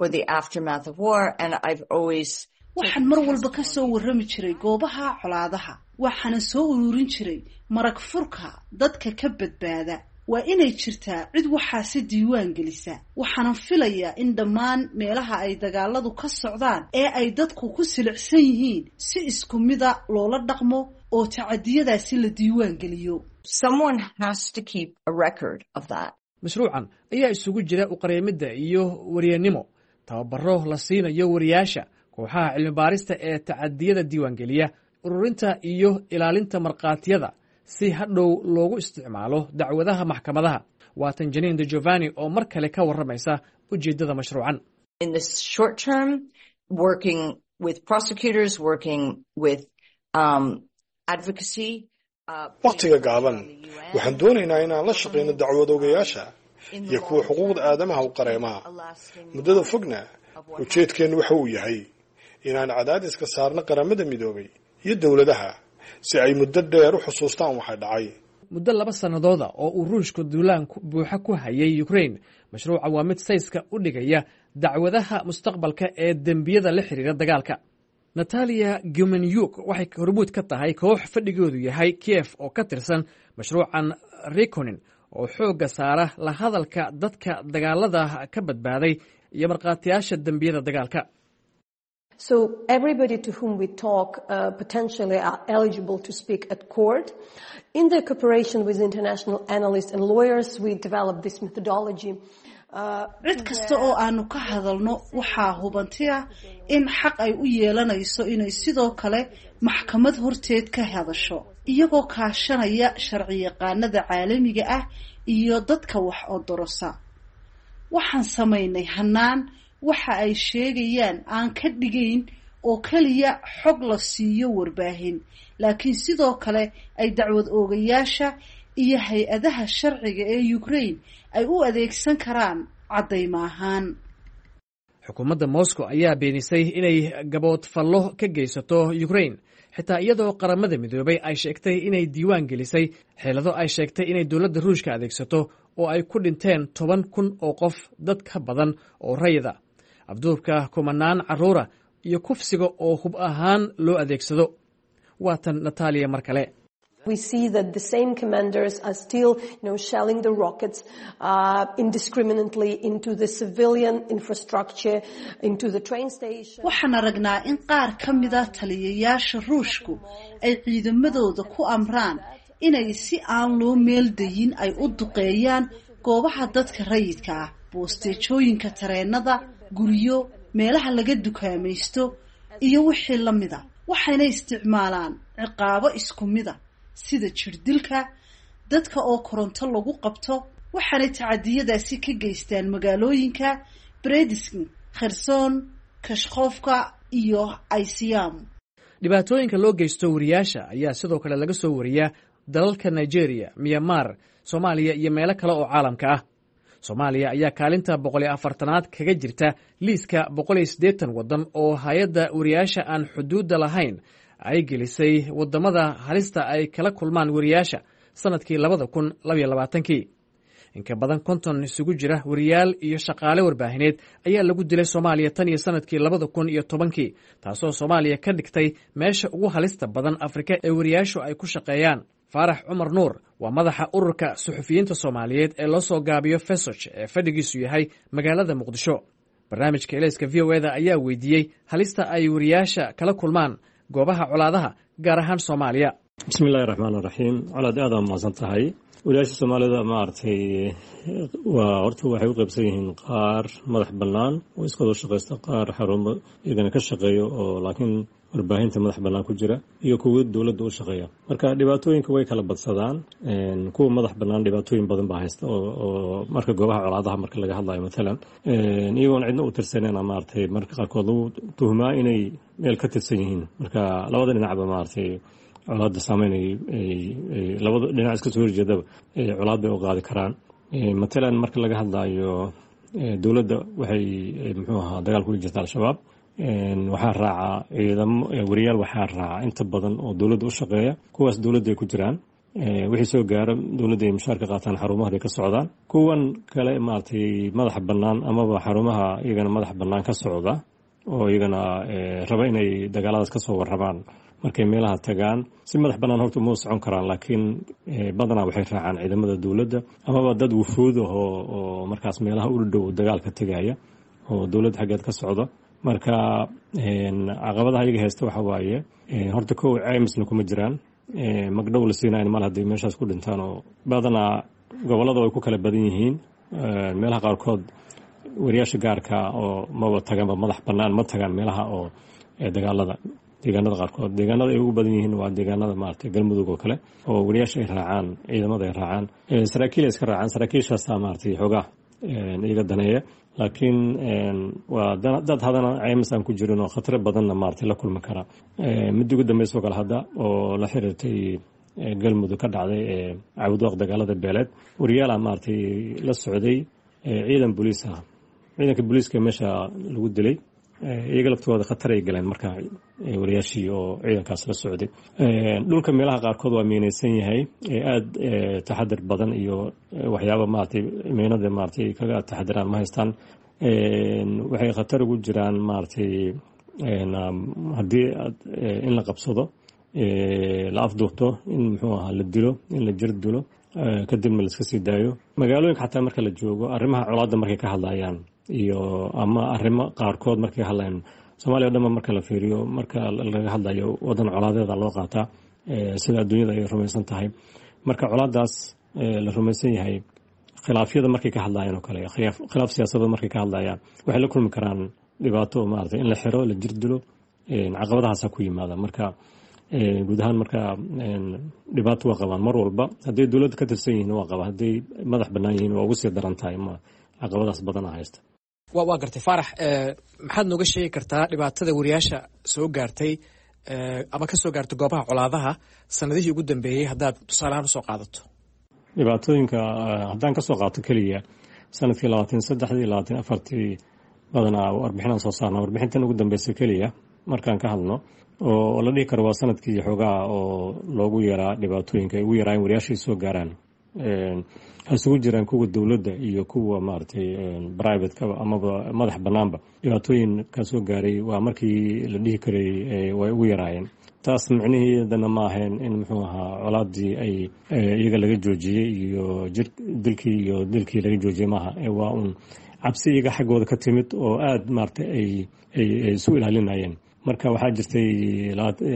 or the aftermath of war, and I've always Waxaan mar walba ka soo warrami jiray goobaha colaadaha, waxaana soo ururin jiray marag furka dadka ka badbaada. Waa inay jirtaa cid waxaasi diiwaan gelisa. Waxaanan filayaa in dhammaan meelaha ay dagaaladu ka socdaan ee ay dadku ku silicsan yihiin si isku mida loola dhaqmo oo tacadiyadaasi la diiwaan geliyo. Someone has to keep a record of that. Mashruucan ayaa isugu jira uqareemidda iyo wariyanimo, tababaro la siinayo wariyaasha, kooxaha cilmibaarista ee tacadiyada diiwaangeliya, ururinta iyo ilaalinta markhaatiyada si hadhow loogu isticmaalo dacwadaha maxkamadaha. Waatan Janin De Giovanni oo mar kale ka warramaysa ujeeddada mashruucan. In the short term, working with prosecutors, working with advocacy. Wakhtiga gaaban waxaan doonaynaa inaan la shaqayno dacwad ogayaasha, iyo kuwa xuquuqda aadamaha u qareemaha. Muddada fogna ujeedkeennu waxa uu yahay inaan cadaadiska saarno Qaramada Midoobay iyo dowladaha si ay muddo dheer u xusuustaan waxa dhacay. Muddo 2 sannadooda oo uu Ruushku duulaan buuxa ku hayay Ukrain, mashruuca waa mid sayska u dhigaya dacwadaha mustaqbalka ee dembiyada la xiriira dagaalka. Natalia Gumenyuk waxay hormuud ka tahay koox fadhigoodu yahay Kiev oo ka tirsan mashruucan Reckoning, oo xoogga saara la hadalka dadka dagaalada ka badbaaday iyo markhaatiyaasha dembiyada dagaalka. So everybody to whom we talk potentially are eligible to speak at court. In the cooperation with international analysts and lawyers, we developed this methodology. Cid kasta oo aanu ka hadalno waxaa hubanti ah in xaq ay u yeelanayso inay sidoo kale maxkamad horteed ka hadasho, iyagoo kaashanaya sharciyaqaanada caalamiga ah iyo dadka wax odorosa. Waxaan samaynay hanaan waxa ay sheegayaan aan ka dhigayn oo keliya xog la siiyo warbaahin, laakiin sidoo kale ay dacwad oogayaasha iyo hay-adaha sharciga ee Ukraine ay u adeegsan karaan caddaymo ahaan. Xukuumadda Moscow ayaa beenisay inay gaboodfallo ka geysato Ukrain, xitaa iyadoo Qaramada Midoobay ay sheegtay inay diiwaan gelisay xeelado ay sheegtay inay dowladda Ruushka adeegsato oo ay ku dhinteen 10,000 oo qof, dad ka badan oo rayida, afduubka kumanaan carruura iyo kufsiga oo hub ahaan loo adeegsado. Waa tan Natalia mar kale. We see that the same commanders are still shelling the rockets indiscriminately into the civilian infrastructure, into the train station. Waxaan aragnaa in qaar ka mida taliyayaasha Ruushku ay ciidamadooda ku amraan inay si aan loo meeldayin ay u duqeeyaan goobaha dadka rayidka ah, boosteejooyinka tareenada, guryo, meelaha laga dukaamaysto iyo wixii la mida. Waxayna isticmaalaan ciqaabo isku mida sida jirdilka dadka oo koronto lagu qabto, waxaanay tacadiyadaasi ka geystaan magaalooyinka Bredisk, Kherson, Kashkofka iyo Izium. Dhibaatooyinka loo geysto wariyaasha ayaa sidoo kale laga soo wariyaa dalalka Nigeria, Myanmar, Soomaaliya iyo meelo kale oo caalamka ah. Soomaaliya ayaa kaalinta 140aad kaga jirta liiska 180 waddan oo hay-adda wariyaasha aan xuduudda lahayn ay gelisay waddamada halista ay kala kulmaan wariyaasha sannadkii 2022-kii. Inka badan 50 isugu jira wariyaal iyo shaqaale warbaahineed ayaa lagu dilay Soomaaliya tan iyo sannadkii 2010-kii, taasoo Soomaaliya ka dhigtay meesha ugu halista badan Afrika ee wariyaashu ay ku shaqeeyaan. Faarax Cumar Nuur waa madaxa Ururka Suxufiyiinta Soomaaliyeed ee loo soo gaabiyo FESOJ ee fadhigiisu yahay magaalada Muqdisho. Barnaamijka Elayska VOA-da ayaa weydiiyey halista ay wariyaasha kala kulmaan goobaha colaadaha, gaar ahaan Soomaaliya. Bismi illahi raxmaan raxiim. Colaad, aad aa mahadsan tahay. Wariyaasha Soomaalida, maaragtay, waa horta waxay u qaybsan yihiin qaar madax bannaan oo iskoodoo shaqaysta, qaar xarumo iyagana ka shaqeeyo oo laakiin warbaahinta madax bannaan ku jira, iyo kuwa dowladda u shaqeeya. Marka dhibaatooyinka way kala badsadaan. Kuwa madax bannaan dhibaatooyin badan baa haysta, oo marka goobaha colaadaha marka laga hadlayo mathalan, iyagoon cidna u tirsaneyn, maaragtay, marka qaarkood lagu tuhmaa inay meel ka tirsan yihiin. Marka labada dhinacba, maaragtay, colaadda saameyn ay labada dhinac iska soo horjeedaba colaad bay u qaadi karaan. Matalan marka laga hadlayo dowladda, waxay muxuu ahaa dagaal kula jirta Al-Shabaab. Waxaa raaca ciidamo wariyaal, waxaa raaca inta badan oo dowladda u shaqeeya. Kuwaas dowladda ay ku jiraan, wixii soo gaaro dowladda ay mushaar ka qaataan, xarumaha ay ka socdaan. Kuwan kale, maaragtay, madaxa bannaan amaba xarumaha iyagana madaxa bannaan ka socda oo iyagana raba inay dagaaladaas ka soo warramaan, markay meelaha tagaan si madax bannaan horta uma socon karaan, laakiin badanaa waxay raacaan ciidamada dowladda amaba dad wufuud ah oo markaas meelaha u dhow dagaalka tegaya oo dowladda xaggeed ka socda. Marka caqabadaha iyaga haysta waxa waaye, horta kow, caymisna kuma jiraan, magdhow la siinayn mal hadday meeshaas ku dhintaan, oo badanaa gobollada way ku kala badan yihiin. Meelaha qaarkood wariyaasha gaarka oo maba taganba, madax bannaan ma tagaan meelaha oo dagaalada. Deegaanada qaarkood, deegaanada ay ugu badan yihiin waa deegaanada, maaragtay, Galmudug oo kale, oo wariyaasha ay raacaan ciidamada, ay raacaan saraakiil, ay iska raacaan saraakiishaasaa, maaragtay, xoogaa iyaga daneeya. Laakiin waa dad hadana caymis aan ku jirin oo khataro badanna, maaragtay, la kulmi kara. Midda ugu dambaysa oo kale hadda oo la xiriirtay Galmudug ka dhacday ee Cawdwaaq, dagaalada beeleed, wariyaala maaragtay la socday ciidan booliis ah. Ciidanka booliiska meesha lagu dilay, iyaga laftooda khatar ay galeen. Marka wariyaashii oo ciidankaas la socday, dhulka meelaha qaarkood waa miinaysan yahay, aada taxadir badan iyo waxyaaba maaragtay miinada maaragtay kaga taxadiraan ma haystaan. Waxay khatar ugu jiraan maaragtay haddii in la qabsado, la afduubto, in muxuu ahaa la dilo, in la jir dilo, kadibna laiska sii daayo. Magaalooyinka xataa marka la joogo, arrimaha colaadda markay ka hadlayaan iyo ama arrimo qaarkood markay ka hadlayaan, Soomaaliya o dhanba marka la fiiriyo, marka laga hadlayo wadan colaadeeda loo qaataa sida adduunyada ay rumaysan tahay. Marka colaadaas la rumaysan yahay, khilaafyada markay ka hadlayaan oo kale, khilaaf siyaasadood markay ka hadlayaan, waxay la kulmi karaan dhibaato, maaragtay in la xiro, la jir dilo, caqabadahaasa ku yimaada. Marka guud ahaan marka dhibaato waa qabaan mar walba. Hadday dowladda ka tirsan yihiin waa qabaan, hadday madax bannaan yihiin waa ugu sii daran tahay, ma caqabadaas badana haysta. Waa gartay. Faarax, maxaad nooga sheegi kartaa dhibaatada wariyaasha soo gaartay ama ka soo gaartay goobaha colaadaha sanadihii ugu dambeeyey, haddaad tusaaleahaan usoo qaadato? Dhibaatooyinka haddaan kasoo qaato keliya sanadkii 23-dii, 24-tii, badanaa warbixinaan soo saarna. Warbixintan ugu dambeysa keliya markaan ka hadlno, oo la dhihi karo waa sanadkii xoogaha oo loogu yaraa dhibaatooyinka ay ugu yaraayeen wariyaasha ay soo gaaraan, ha isugu jiraan kuwa dowladda iyo kuwa maaragtay privatekaba amaba madax banaanba, dhibaatooyin ka soo gaaray waa markii la dhihi karay way ugu yaraayeen. Taas micniheedana ma ahayn in muxuu ahaa colaadii ay iyaga laga joojiyey iyo jir dilkii iyo dilkii laga joojiyey maaha. Waa un cabsi iyaga xaggooda ka timid oo aada maaragtay ay isu ilaalinayeen. Marka waxaa jirtay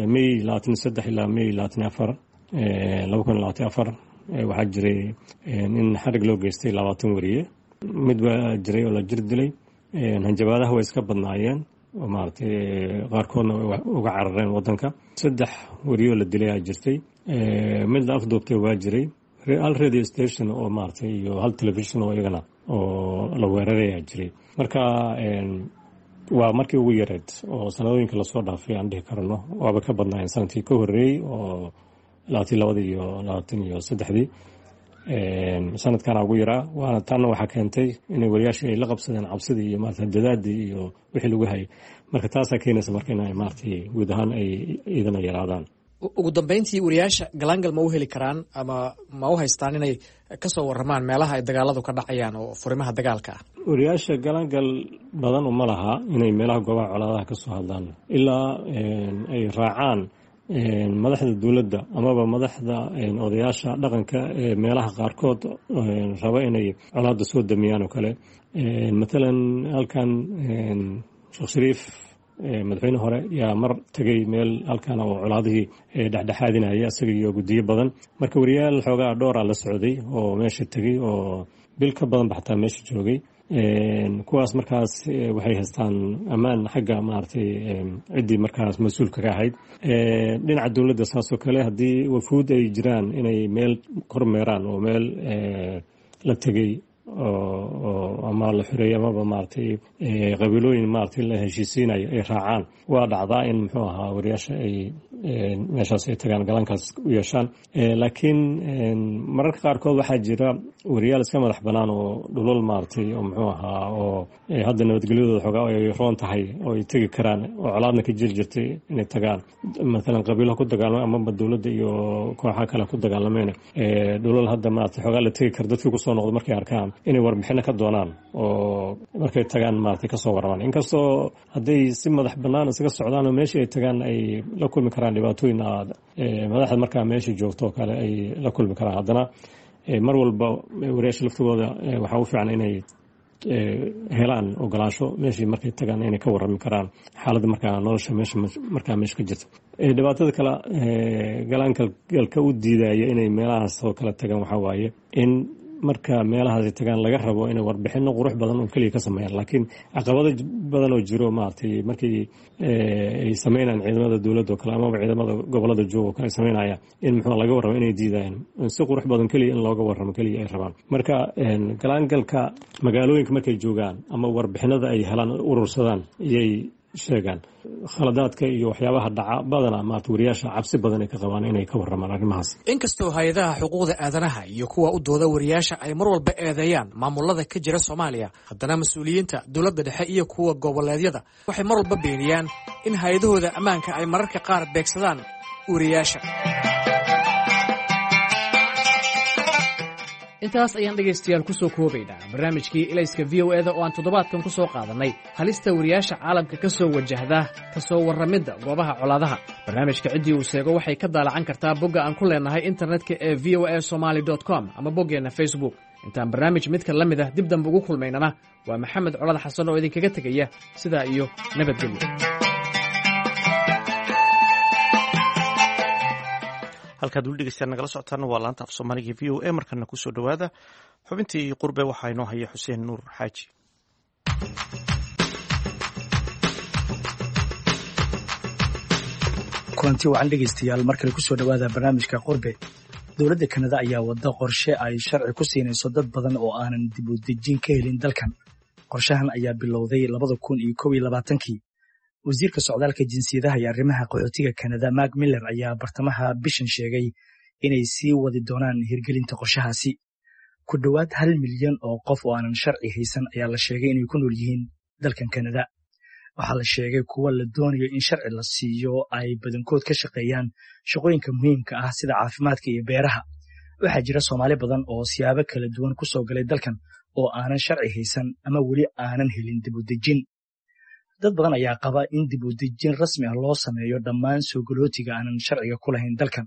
May 23 ilaa May 24, 2024, waxaa jiray in xarig loo geystay 20 wariye. Mid baa jiray oo la jir dilay. Hanjabaadaha way iska badnaayeen oo maaragtay qaarkoodna uga carareen wadanka. Saddex wariyoo la dilay aa jirtay, mid la afduubtay waa jiray, hal radio station oo maaragtay iyo hal telefishon oo iyagana oo la weerarayaa jiray. Marka waa markii ugu yareed oo sanadooyinka lasoo dhaafay aan dhihi karno, waaba ka badnaayeen sanadkii ka horreeyey oo 22-dii iyo 23-dii. Sanadkana ugu yaraa. Waana taana waxaa keentay inay wariyaashii ay la qabsadeen cabsidii iyo maarata dadaadii iyo wixii lagu hayay. Marka taasaa keenaysa marka inay maaragtay guud ahaan ay idana yaraadaan. Ugu dambeyntii, wariyaasha galaangal ma u heli karaan ama ma u haystaan inay kasoo waramaan meelaha ay dagaaladu ka dhacayaan oo furimaha dagaalka ah? Wariyaasha galaangal badan uma laha inay meelaha goobaha colaadaha kasoo hadlaan ilaa ay raacaan madaxda dowladda amaba madaxda odayaasha dhaqanka ee meelaha qaarkood raba inay colaadda soo damiyaan oo kale. Matalan halkan Sheekh Shariif, madaxweyne hore, yaa mar tegay meel halkan oo colaadihii dhexdhexaadinaya, isaga iyo guddiyo badan. Marka wariyaal xoogaa dhowraa la socday oo meesha tegey oo bil ka badanba xataa meesha joogay. Kuwaas markaas waxay haystaan ammaan xagga maaragtay ciddii markaas mas-uulka ka ahayd. Dhinaca dowladda saasoo kale, haddii wafuud ay jiraan inay meel kormeeraan oo meel la tegey oo ama la xoreeyey amaba maaragtay qabiilooyin maaragtay la heshiisiinayo ay raacaan, waa dhacdaa in muxuu ahaa wariyaasha ay meeshaas ay tagaan, galankaas u yeeshaan. Laakiin mararka qaarkood waxaa jira wariyaal iska madax bannaan oo dhulal maaragtay oo muxuu ahaa oo hadda nabadgelyadooda xoogaa ay roon tahay oo ay tegi karaan oo colaadna ka jiri jirtay inay tagaan, matalan qabiilaha ku dagaalamay amaba dowladda iyo kooxaha kale ku dagaalameyn, dhulal hadda maaragtay xoogaa la tegi karo, dadkii kusoo noqdo markay arkaan inay warbixino ka doonaan oo markay tagaan maaragtay kasoo warramaan. Inkastoo hadday si madax bannaan isaga socdaan oo meeshii ay tagaan ay la kulmi karaan dhibaatooyin aad madaxda markaa meesha joogto oo kale ay la kulmi karaan, haddana mar walba wariyaasha laftigooda waxaa u fiican inay helaan ogolaansho meeshii markay tagaan inay ka warrami karaan xaaladda markaa nolosha meesha markaa meesha ka jirta. Dhibaatada kale galaangalka u diidaya inay meelahaas oo kale tagaan waxaa waaye in marka meelahaas ay tagaan laga rabo inay warbixino qurux badan oo keliya ka sameeyaan, laakiin caqabado badan oo jiro maaragtay markii ay sameynayaan ciidamada dowladda oo kale amaba ciidamada gobolada jooga oo kale ay sameynayaan in muxuu laga warramo inay diidayaan, si qurux badan keliya in looga warramo keliya ay rabaan. Marka galaangalka magaalooyinka markay joogaan ama warbixinada ay helaan urursadaan iyay sheegaan khaladaadka iyo waxyaabaha dhaca badanaa maarata wariyaasha cabsi badan ay ka qabaan inay ka warramaan arrimahaas. Inkastoo hay-adaha xuquuqda aadanaha iyo kuwa u dooda wariyaasha ay mar walba eedeeyaan maamulada ka jira Soomaaliya, haddana mas-uuliyiinta dowladda dhexe iyo kuwa goboleedyada waxay mar walba beeniyaan in hay-adahooda ammaanka ay mararka qaar beegsadaan wariyaasha. Intaas ayaan dhegaystayaal ku soo koobaynaa barnaamijkii Ilayska V O eda oo aan toddobaadkan ku soo qaadannay halista wariyaasha caalamka ka soo wajahda ka soo warramidda goobaha colaadaha. Barnaamijka ciddii uu sheego waxay ka daalacan kartaa bogga aan ku leenahay internetka ee v o a somaly com ama boggeenna Facebook. Intaan barnaamij midka la mid ah dib dambe ugu kulmaynana, waa Maxamed Colad Xasan oo idinkaga tegaya sidaa iyo nabadgelyo. Halkaad weli dhegeystayaal nagala socotaana waa laanta af Soomaaliga V O A. Markana kusoo dhowaada xubintii qurbe, waxaa inoo haya Xuseen Nuur Xaaji. Kulanti wacan dhegaystayaal, mar kale kusoo dhowaada barnaamijka qurbe. Dowladda Kanada ayaa wadda qorshe ay sharci ku siinayso dad badan oo aanan dib u dejin ka helin dalkan. Qorshahan ayaa bilowday 2021-kii. Wasiirka socdaalka, jinsiyadaha iyo arrimaha qaxootiga Kanada, Mark Miller, ayaa bartamaha bishan sheegay inay sii wadi doonaan hirgelinta qorshahaasi. Ku dhowaad 1 milyan oo qof oo aanan sharci haysan ayaa la sheegay inay ku nool yihiin dalkan Kanada. Waxaa la sheegay kuwa la doonayo in sharci la siiyo ay badankood ka shaqeeyaan shaqooyinka muhiimka ah sida caafimaadka iyo beeraha. Waxaa jira Soomaali badan oo siyaabo kala duwan ku soo galay dalkan oo aanan sharci haysan ama weli aanan helin dib u dejin. Dad badan ayaa qaba in dib u dejin rasmi ah loo sameeyo dhammaan soo galootiga aanan sharciga ku lahayn dalkan.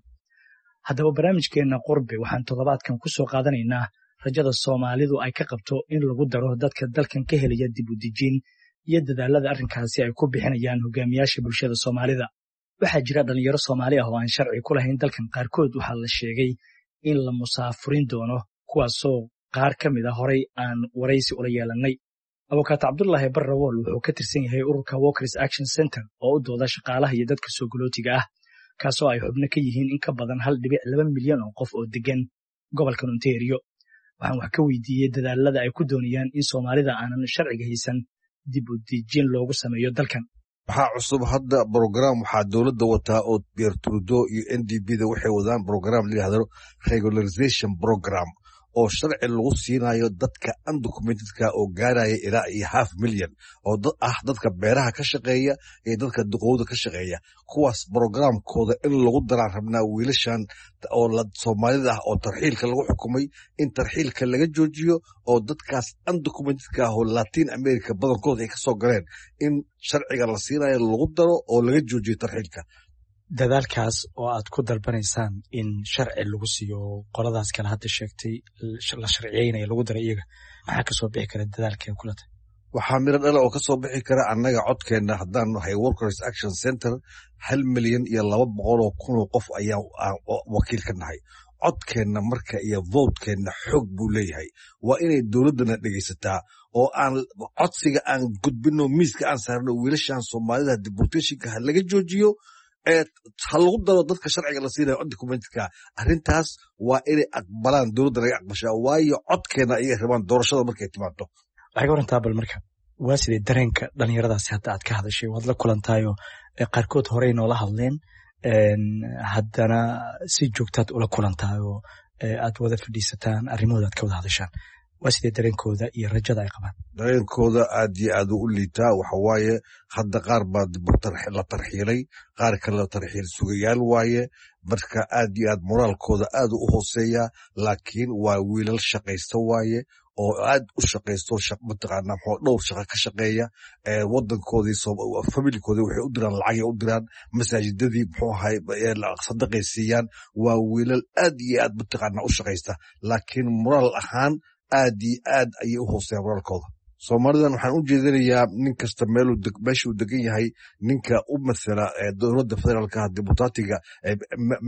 Haddaba, barnaamijkeenna qurbe waxaan toddobaadkan ku soo qaadanaynaa rajada Soomaalidu ay ka qabto in lagu daro dadka dalkan ka helaya dib u dejin iyo dadaalada arrinkaasi ay ku bixinayaan hogaamiyaasha bulshada Soomaalida. Waxaa jira dhalinyaro Soomaali ah oo aan sharci ku lahayn dalkan. Qaarkood waxaa la sheegay in la musaafurin doono, kuwaasoo qaar ka mid a horay aan waraysi ula yeelannay. Abukaat Cabdulaahi Barrawool wuxuu ka tirsan yahay ururka Workers Action Center oo u dooda shaqaalaha iyo dadka soo galootiga ah, kaasoo ay xubno ka yihiin in ka badan 1.2 milyan oo qof oo degan gobolkan Ontario. Waxaan wax ka weydiiyey dadaalada ay ku doonayaan in Soomaalida aanan sharciga haysan dib u dejin loogu sameeyo dalkan. Waxaa cusub hadda program waxaa dowladda wataa oo Pierre Trudeau iyo NDP da waxay wadaan program la yidhahdo regularization program, oo sharci lagu siinayo dadka undocumentedka oo gaaraya ilaa iyo half million oo dad ah, dadka beeraha ka shaqeeya iyo dadka duqowda ka shaqeeya. Kuwaas programkooda in lagu daraan rabnaa wiilashan oo Soomaalida ah oo tarxiilka lagu xukumay, in tarxiilka laga joojiyo oo dadkaas undocumentedka ah oo Latin America badankooda ay kasoo galeen in sharciga la siinayo lagu daro oo laga joojiyo tarxiilka. Dadaalkaas oo aad ku dalbanaysaan in sharci lagu siiyo qoladaas kale hadda sheegtay la sharciyeynaya lagu daray iyaga, maxaa kasoo bixi kara dadaalka kulata? Waxaa miro dhala oo kasoo bixi kara annaga codkeenna haddaan nahay Workers Action Center, 1,200,000 oo qof ayaa wakiil ka nahay. Codkeenna marka iyo votekeenna xoog buu leeyahay. Waa inay dowladdana dhegaysataa oo aan codsiga aan gudbino, miiska aan saarno, wiilashan Soomaalida deportationka ha laga joojiyo, ha lagu daro dadka sharciga la siinayo undocumentedka. Arrintaas waa inay aqbalaan, dowladda naga aqbashaa, waayo codkeena ayay rabaan doorashada markay timaado. Waxay ka warantaa bal marka, waa sidee dareenka dhalinyaradaasi hadda aad ka hadashay? Waad la kulantaayo, qaarkood horey noola hadleen, haddana si joogtaad ula kulantaayo, aad wada fadhiisataan, arrimahooda aad ka wada hadashaan. Waa sidee dareenkooda iyo rajada ay qabaan? Dareenkooda aad iyo aad u liitaa. Waxa waaye hadda qaar baa la tarxiilay, qaar kale la tarxiil sugayaal waaye. Marka aad iyo aad moraalkooda aad u hooseeya, laakiin waa wiilal shaqaysta waaye oo aad u shaqaysto, mataqaana muxuu dhowr shaqo ka shaqeeya. Wadankoodii, familikoodii waxay u diraan lacagay u diraan, masaajidadii muxuu ahay sadaqay siiyaan. Waa wiilal aad iyo aad mataqaana u shaqaysta, laakiin moraal ahaan aad iyo aad ayay u hooseeyaan moraalkooda. Soomaalidan waxaan u jeedinayaa nin kasta meeshuu degan yahay ninka u mathala dowladda federaalka, deputatiga,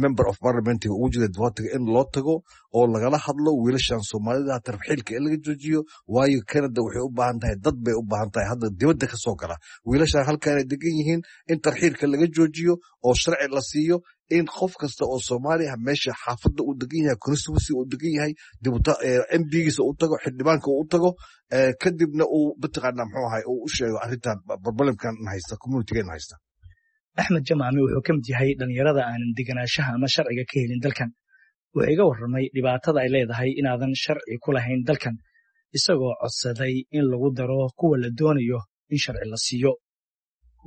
member of parliamentiga ugu jira deputatiga, in loo tago oo lagala hadlo wiilashan Soomaalida tarxiilka in laga joojiyo, waayo Canada waxay u baahan tahay dad bay u baahan tahay hadda dibadda ka soo gala. Wiilashan halkaanay degan yihiin, in tarxiilka laga joojiyo oo sharci la siiyo. In qof kasta oo Soomaali ah meesha xaafadda uu degan yahay, constituency uu degan yahay, MP-giisa u tago, xildhibaanka uu u tago, kadibna uu mataqaanaa muxuu ahay uu u sheego arrintan problemkan haysta, communitygan haysta. Axmed Jamaame wuxuu ka mid yahay dhallinyarada aanan deganaanshaha ama sharciga ka helin dalkan. Wuxuu iga warramay dhibaatada ay leedahay inaadan sharci ku lahayn dalkan, isagoo codsaday in lagu daro kuwa la doonayo in sharci la siiyo.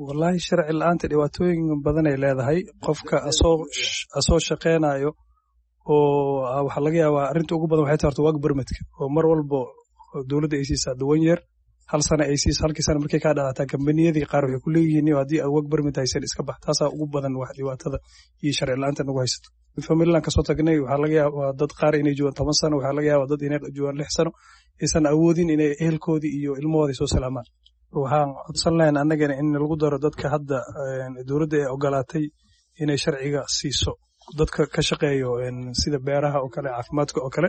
Wallaahi, sharci la'aanta dhibaatooyin badan ay leedahay. Qofka asoo shaqeynayo oo waxaa laga yaabaa, arrinta ugu badan waxay tahay horta work permitka oo mar walbo dowladda ay siisaa 1 year, hal sana ay siiso. Halkii sana markay kaa dhalataa, kambaniyadii qaar waxay ku leeyihiin haddii aad work permit haysan iska bax. Taasaa ugu badan wax dhibaatada iyo sharci la'aanta nagu haysato. Famililand kasoo tagnay, waxaa laga yaabaa dad qaar inay joogaan 10 sano, waxaa laga yaabaa dad inay joogaan 6 sano, aysan awoodin inay ehelkoodii iyo ilmahoodii soo salaamaan. Waxaan codsan lahayn annagana in lagu daro dadka hadda dowladda ay ogolaatay inay sharciga siiso, dadka ka shaqeeyo sida beeraha oo kale, caafimaadka oo kale.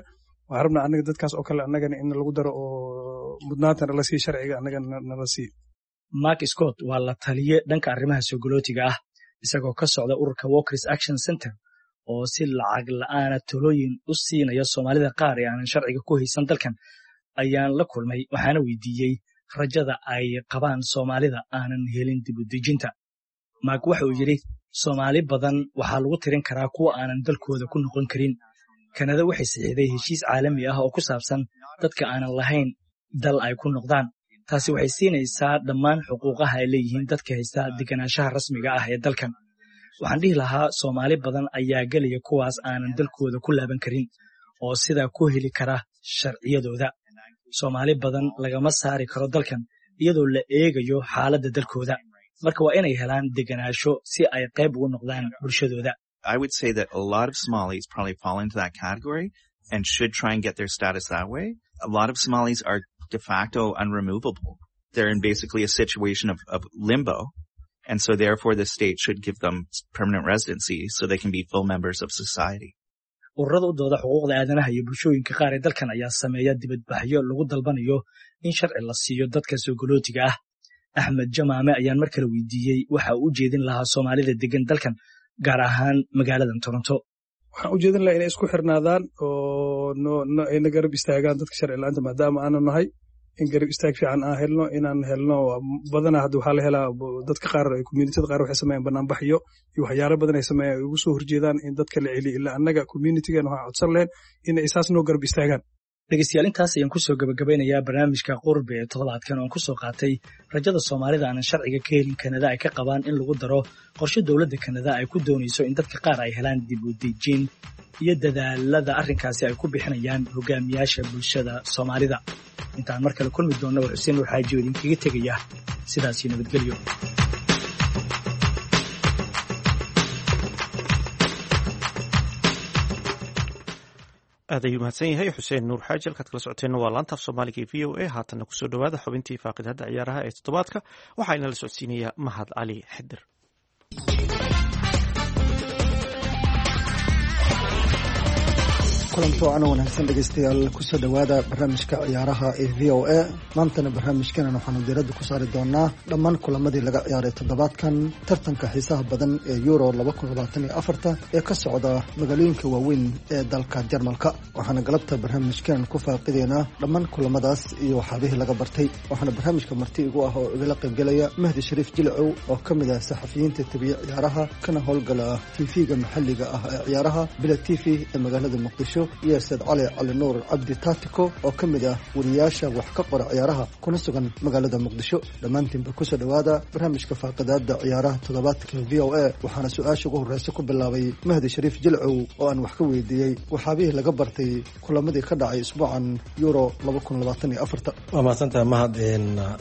Waxaan rabnaa annaga dadkaas oo kale annagana in lagu daro oo mudnaanta nala siiyo, sharciga annagana nala siiyo. Mark Scott waa la taliye dhanka arrimaha soogolootiga ah, isagoo ka socda ururka Workers Action Center oo si lacag la'aana talooyin u siinaya Soomaalida qaar ee aanan sharciga ku haysan dalkan ayaan la kulmay, waxaana weydiiyey rajada ay qabaan Soomaalida aanan helin dibudejinta. Mark waxa uu yidhi, Soomaali badan waxaa lagu tirin karaa kuwa aanan dalkooda ku noqon karin. Kanada waxay saxiixday heshiis caalami ah oo ku saabsan dadka aanan lahayn dal ay ku noqdaan. Taasi waxay siinaysaa dhammaan xuquuqaha ay leeyihiin dadka haysta deganaanshaha rasmiga ah ee dalkan. Waxaan dhihi lahaa Soomaali badan ayaa gelaya kuwaas aanan dalkooda ku laaban karin oo sidaa ku heli kara sharciyadooda. Soomaali badan lagama saari karo dalkan iyadoo la eegayo xaaladda dalkooda. Marka waa inay helaan deganaansho si ay qayb ugu noqdaan bulshadooda. I would say that a lot of Somalis probably fall into that category and should try and get their status that way. A lot of Somalis are de facto unremovable. They're in basically a situation of limbo. And so therefore the state should give them permanent residency so they can be full members of society. Ururada u dooda xuquuqda aadanaha iyo bulshooyinka qaar ee dalkan ayaa sameeya dibadbaxyo lagu dalbanayo in sharci la siiyo dadka soogolootiga ah. Axmed Jamaame ayaan mar kale weydiiyey waxa uu u jeedin lahaa Soomaalida degan dalkan, gaar ahaan magaaladan Toronto. Waxaan u jeedin lahaa inay isku xirnaadaan oo ayna garab istaagaan dadka sharci la'aanta, maadaama aanu nahay in garab istaag fiican aan helno, inaan helno. Badanaa hadda waxaa la helaa dadka qaar, communityada qaar waxay sameeyaan banaanbaxyo iyo waxyaalo badan ay sameeyaan ay ugu soo horjeedaan in dadka la celiyo. Ilaa annaga communitygan waxaan codsan lahayn inay isaas noo garab istaagaan. Dhegeystayaal, intaas ayaan kusoo gabagabeynayaa barnaamijka Qurbe ee toddobaadkan oon kusoo qaatay rajada Soomaalida aanan sharciga ka helin Kanada ay ka qabaan in lagu daro qorshe dowladda Kanada ay ku doonayso in dadka qaar ay helaan dib u dejin iyo dadaalada arrinkaasi ay ku bixinayaan hogaamiyaasha bulshada Soomaalida. Intaan mar kale kulmi doonna, waa Xuseen Nuur Xaaji oo idinkaga tegaya sidaasi nabadgelyo. Aad ayuu mahadsan yahay Xuseen Nuur Xaaji. Halkaad kala socoteenna waa laanta af Soomaaliga ee VOA. Haatanna kusoo dhowaada xubintii faaqidada ciyaaraha ee toddobaadka. Waxaa inala socodsiinaya Mahad Cali Xidir. Kulanto ana wanaagsan dhegeystayaal, kusoo dhowaada barnaamijka ciyaaraha ee VOA. Maantana barnaamijkanan waxaanu diiradda ku saari doonaa dhammaan kulamadii laga ciyaaray toddobaadkan tartanka xiisaha badan ee Euro 2024-ta ee ka socda magaalooyinka waaweyn ee dalka Jarmalka. Waxaana galabta barnaamijkanan ku faaqideynaa dhammaan kulamadaas iyo waxaabihii laga bartay. Waxaana barnaamijka marti igu ah oo igala qaybgelaya Mahdi Shariif Jilcow oo ka mid ah saxafiyiinta tabiye ciyaaraha kana howlgala TV-ga maxalliga ah ee ciyaaraha Bila TV ee magaalada Muqdisho, iyo Said Cali Cali Nuur Cabdi Taatiko oo ka mid ah wariyaasha wax ka qora ciyaaraha kuna sugan magaalada Muqdisho. Dhammaantiinba kusoo dhowaada barnaamijka faaqidaada ciyaaraha toddobaadka VOA. Waxaana su-aasha ugu horreysa ku bilaabay Mahdi Shariif Jilcow oo aan wax ka weydiiyey waxaabihii laga bartay kulamadii ka dhacay isbuucan Euro 2024-ta. Waa mahadsantaha, Mahad.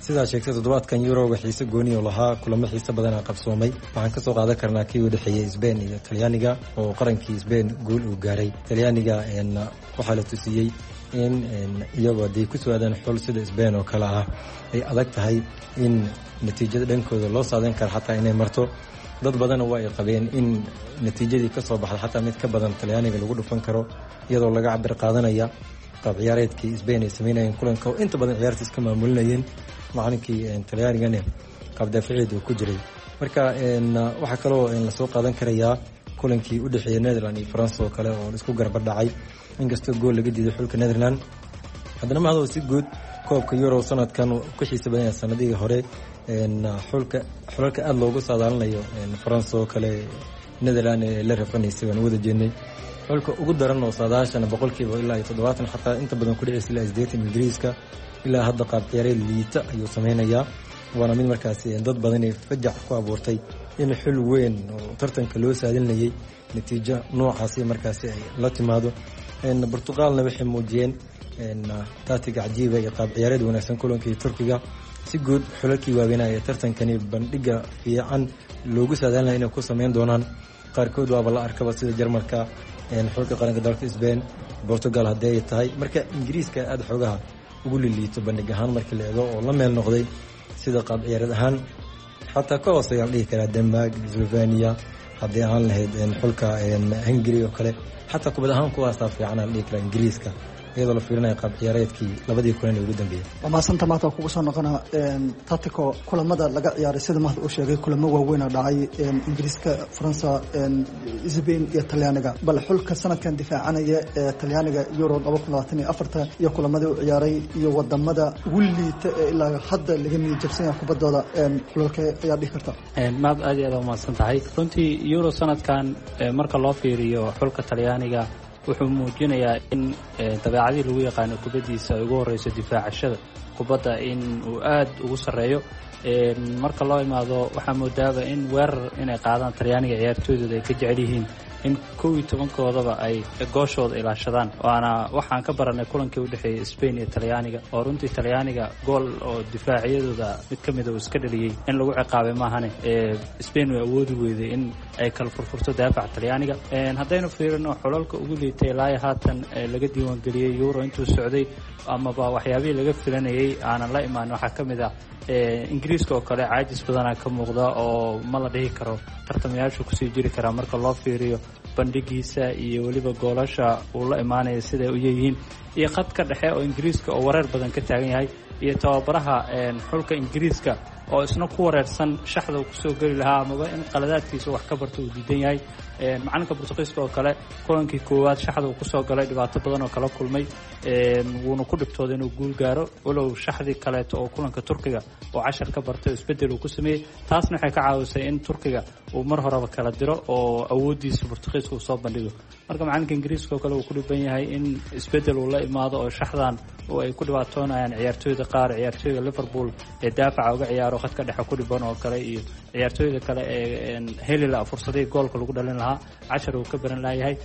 Sidaa sheegtay, toddobaadkan Yuroga xiise gooni oo lahaa, kulamo xiise badanaa qabsoomay. Waxaan kasoo qaadan karnaa kii u dhexeeyey Sbain iyo Talyaaniga oo qarankii Sbain guul uu gaaray. Talyaaniga waxaa la tusiyey in iyagoo hadday ku soo aadaan xul sida Sbain oo kale ah ay adag tahay in natiijada dhankooda loo saadeyn karo xataa inay marto. Dad badanna waa ay qabeen in natiijadii ka soo baxda xataa mid ka badan Talyaaniga lagu dhufan karo, iyadoo laga cabir qaadanaya qaab ciyaareedkii Sbain ay sameynayeen kulanka oo inta badan ciyaarta iska maamulinayeen, macalinkii Talyaanigana qaab daafaceed uu ku jiray. Marka waxaa kaloo lasoo qaadan karayaa Kulankii u dhexeeyey Netherland iyo France oo kale oo isku garba dhacay, inkastoo gool laga diiday xulka Netherland, haddana mahadoo si guud koobka Euro sanadkan ku xiisa badan yahay sanadihii hore. Xulka xulalka aada loogu saadaalinayo, France oo kale, Netherland ee la rafanaysay waan wada jeednay. Xulka ugu daran oo saadaashana boqolkiiba ilaa iyo 70, xataa inta badan ku dhicisa ilaa 80, Ingiriiska ilaa hadda qaab ciyaareed liita ayuu sameynayaa, waana mid markaasi dad badan ay fajac ku abuurtay in xul weyn oo tartanka loo saadinayay natiijo noocaasi markaasi ay la timaado. Portugalna waxay muujiyeen taatiga cajiiba iyo qaab ciyaareed wanaagsan kulankii Turkiga. Si guud xulalkii waaweynaa ee tartankani bandhiga fiican loogu saadaalinaya inay ku sameyn doonaan qaarkood waaba la arkaba, sida Jarmalka, xulka qaranka dalka Spain, Portugal haddii ay tahay. Marka Ingiriiska aada xoogaha ugu liliito bandhig ahaan markii la eego oo la meel noqday sida qaab ciyaareed ahaan, xataa ka hooseeya la dhihi karaa Denmark, Slovenia, haddii ahaan lahayd xulka Hungary oo kale, xataa kubad ahaan kuwaasaa fiican la dhihi karaa Ingiriiska, iyadoo la fiirinayo qaab ciyaareedkii labadii kulan ee ugu dambeeyey. Waa mahadsanta. Maanta waa kugu soo noqona Tatico. Kulamada laga ciyaaray, sida Mahad uu sheegay, kulamo waaweyn oo dhacay Ingiriiska, Faransa, Spain iyo Talyaaniga. Bal xulka sanadkan difaacanaya ee Talyaaniga Euro 2024 iyo kulamadii u ciyaaray iyo wadamada ugu liita ee ilaa hadda laga niyad jabsan yahay kubaddooda, xulalka ayaa dhihi karta? Mahad, aad iyo aad umahadsan tahay. Runtii Euro sanadkan marka loo fiiriyo xulka Talyaaniga wuxuu muujinayaa in dabeecadii lagu yaqaano kubaddiisa ay ugu horreyso difaacashada kubadda in uu aad ugu sarreeyo. Marka loo imaado waxaa moodaaba in weerar inay qaadaan Talyaaniga ciyaartooydooda ay ka jecel yihiin in 11-koodaba ay gooshooda ilaashadaan, waana waxaan ka baranay kulankii u dhexeeyey Spain iyo Talyaaniga, oo runtii Talyaaniga gool oo difaaciyadooda mid ka mida uu iska dhaliyey in lagu ciqaabay maahane Spain way awoodi weyday in ay kala furfurto daafaca Talyaaniga. Haddaynu fiirino xulalka ugu liitay ilaa haatan laga diiwaangeliyey Euro intuu socday amaba waxyaabihii laga filanayay aanan la imaan, waxaa ka mid ah Ingiriiska oo kale. Caajis badanaa ka muuqda oo ma la dhihi karo tartamayaashu kusii jiri karaa marka loo fiiriyo bandhigiisa iyo weliba goolasha uu la imaanaya siday u yeeyihiin, iyo khadka dhexe oo Ingiriiska oo wareer badan ka taagan yahay, iyo tababaraha xulka Ingiriiska oo isna ku wareersan shaxda uu kusoo geli lahaa amaba in qaladaadkiisa wax ka barto uu diidan yahay. Macalinka Bortuqiiska oo kale kulankii koowaad shaxda uu kusoo galay dhibaato badan oo kala kulmay, wuuna ku dhibtooday inuu guul gaaro, walow shaxdii kaleeto oo kulanka Turkiga oo cashar ka bartay oo isbedel uu ku sameeyey, taasna waxay ka caawisay in Turkiga uu mar horeba kala diro oo awooddiisa Bortuqiiska uu soo bandhigo. Marka macalinka Ingiriiska oo kale uu ku dhiban yahay in isbedel uu la imaado oo shaxdan oo ay ku dhibaatoonayaan ciyaartooyda qaar, ciyaartooyda Liverpool ee daafaca uga ciyaaro khadka dhexe ku dhiban oo kale, iyo ciyaartooyda kale ee heli laha fursadihii goolka lagu dhalin lahaa cashar uu ka baran layahay.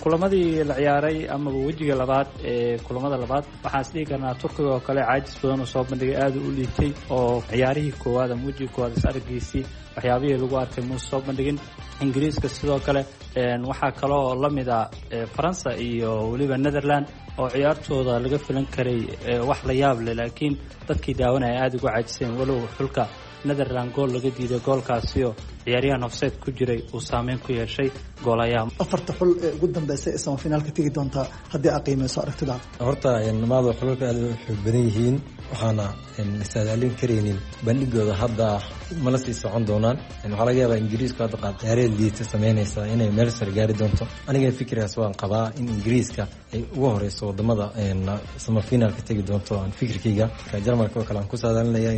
Kulamadii la ciyaaray amaba wejiga labaad ee kulamada labaad waxaan is dhihi karnaa Turkiga oo kale caajis badan oo soo bandhigay, aada u liitay oo ciyaarihii koowaad ama wejiga koowaad is araggiisii waxyaabihii lagu arkay muuse soo bandhigin. Ingiriiska sidoo kale. Waxaa kaloo la mid a Faransa iyo weliba Netherland oo ciyaartooda laga filan karay wax la yaab leh, laakiin dadkii daawanaya aada uga caajiseen, walow xulka Netherland gool laga diiday, goolkaasioo ciyaaryahan hofseed ku jiray uu saameyn ku yeeshay goolayaha. Afarta xul ee ugu dambeysay ee samafinaalka tegi doontaa haddii aad qiimeyso aragtida? Horta maado xulalka aada u xoog badan yihiin, waxaana la saadaalin karaynin bandhigooda hadda mala sii socon doonaan. Waxaa laga yaabaa Ingiriisku hadda qaab ciyaareed liita sameynaysa inay meel sare gaari doonto. Aniga fikirkaas waan qabaa in Ingiriiska ay ugu horeyso wadamada samafinaalka tegi doonto. Aan fikirkayga Jarmalka oo kale aan ku saadaalinaya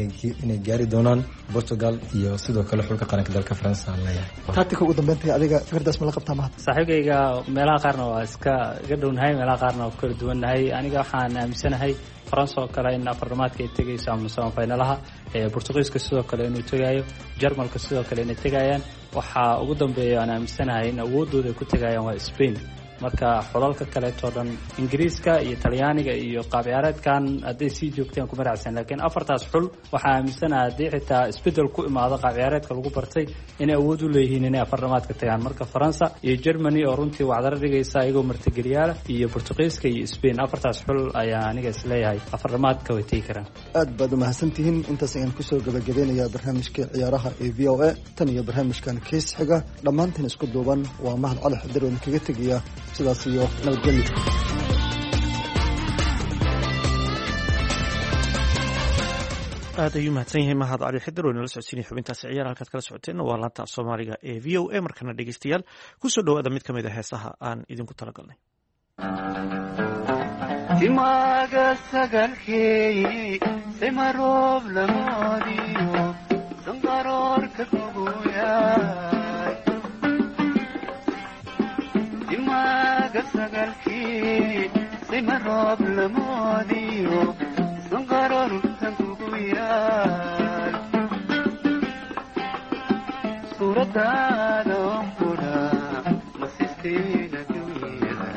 inay gaari doonaan, Portugal iyo sidoo kale xulka qaranka dalka Faransa aan leeyahay. Tactica, ugu dambeyntii adiga fikirdaas ma la qabtaa, Mahad? Saaxiibkayga meelaha qaarna waa iska iga dhownahay, meelaha qaarna waa ku kala duwannahay. Aniga waxaan aaminsanahay Faransa oo kale in afardhamaadka ay tegayso ama samafinalaha, Bortuqiiska sidoo kale inuu tegayo, Jarmalka sidoo kale inay tegayaan. Waxaa ugu dambeeya aan aaminsanahay in awooddooda ay ku tegayaan waa Spain. Marka xulalka kaleetoo dhan, Ingiriiska iyo Talyaaniga iyo qaab ciyaareedkan hadday sii joogteen kuma raacsan, laakiin afartaas xul waxaa aaminsanaha haddii xitaa isbedel ku imaado qaab ciyaareedka lagu bartay inay awood u leeyihiin inay afardhamaadka tagaan. Marka Faransa iyo Germany oo runtii wacdaro dhigaysa iyagoo martigeliyaala, iyo Bortuqiiska iyo Spain, afartaas xul ayaa aniga isleeyahay afardhamaadka way tegi karaan. Aad baad umahadsantihiin. Intaas ayaan kusoo gabagabeynayaa barnaamijka ciyaaraha ee VOA. Tan iyo barnaamijkan kiis xiga, dhammaantiin isku duuban waa Mahad Cali Xadir oo idinkaga tegaya sidaas iyo nabadgelyo. Aad ayuu mahadsan yahay Mahad Cali Xidir oo inala socodsiinaya xubintaasi ciyaar. Halkaad kala socoteenna waa laanta af Soomaaliga ee VOA. Markana dhegeystayaal, kusoo dhowaada mid ka mid a heesaha aan idinku talagalnay. Timaaga sagalkeey simaroob lamoodiyo sanqaroorka kuguyaay. Timaaga sagalkii simaroob lamoodiyo sanqaroorka kuguyaay. Suuradaada onkudha masistiina dunyada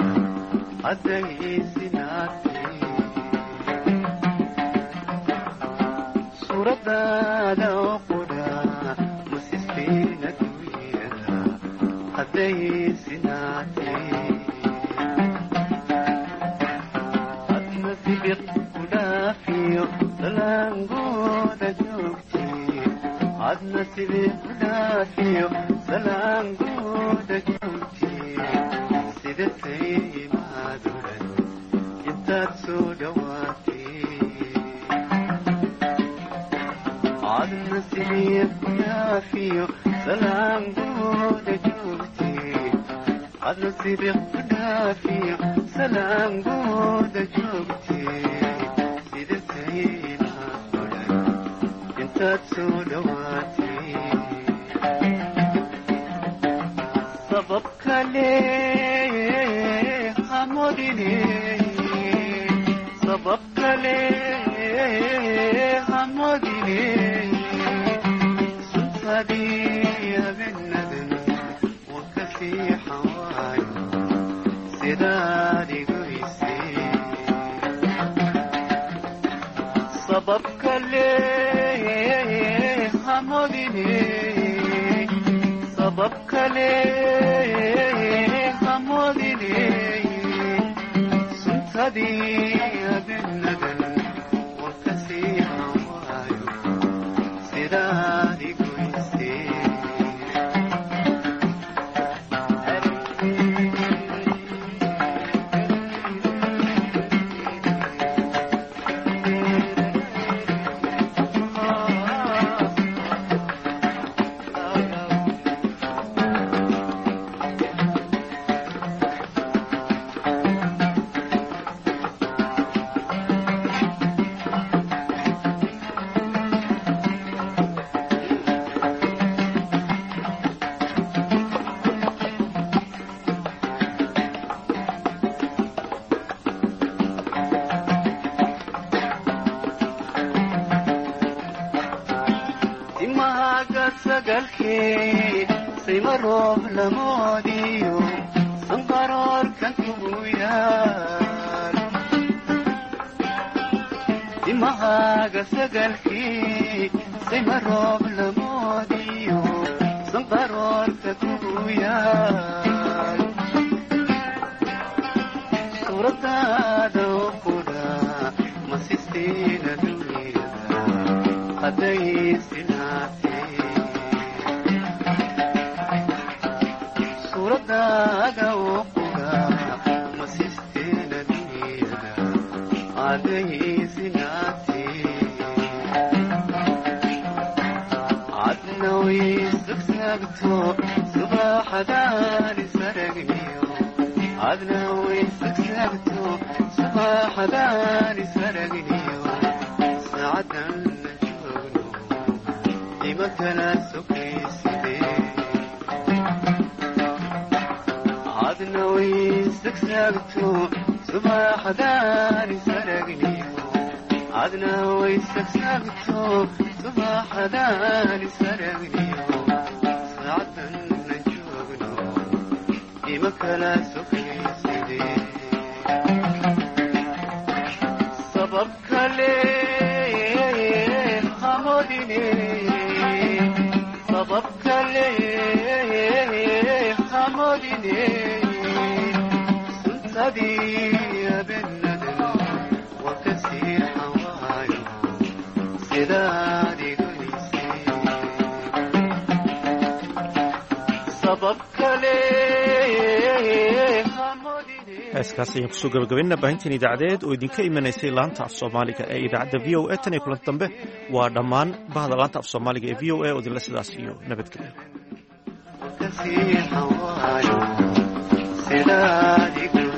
addaysinaate. Suuradaada oqudha masistiina dunyada addaysinaate. Adna sibiq kudhaafiyo salaangooda joogti. Adna sibiq kudhaafiyo salaangooda joogti. Sidatay maaduran intaad soo dhawaatay. Adna sibiq kudhaafiyo salaangooda joogti. Adna sibiq kudhaafiyo salaangooda joogti. Sidatay maaduran intaad soo dhawaatay. Sabab kale hamodine, sabab kale hamodine. Suntadii habeenadan wakasii xawaayo sidaad igoysay. Sabab kale hamodine, sabab kale hamodine. Suntadii habeenadan wakasii xawaayo sidaad igoysay. Timaaga sagalkee sayma roob lamoodiyo sanqaroorkan kugu yaal. Timahaaga sagalkee sayma roob lamoodiyo sanqaroorka kugu yaal. Suuradaada oqudha masistiina dunyada addaysinaate. Suuradaada oqudha masistiina dunyada addaysinaate. Adna waysagsaagto subaxadaani saragniyo. Adna waysagsaagto subaxadaani saragniyo. Saacadan la joogno ima kala sokayside. Adna waysagsaagto subaxadaani saragniyo. Adna waysagsaagto subaxadaani saragniyo. Saacadan la joogno ima kala sokayside. Sabab kale hamodine, sabab kale hamodine. Suntadii habeenadan wakasii xawaayo sidaad igoysay. Sabab kale. Heeskaas ayaan kusoo gabagabaynana baahinteen idaacadeed oo idinka imanaysay laanta af Soomaaliga ee idaacadda VOA. Tan iyo kulanti dambe, waa dhammaan bahda laanta af Soomaaliga ee VOA oo idinle sidaas iyo nabadgelyo. Sidaad.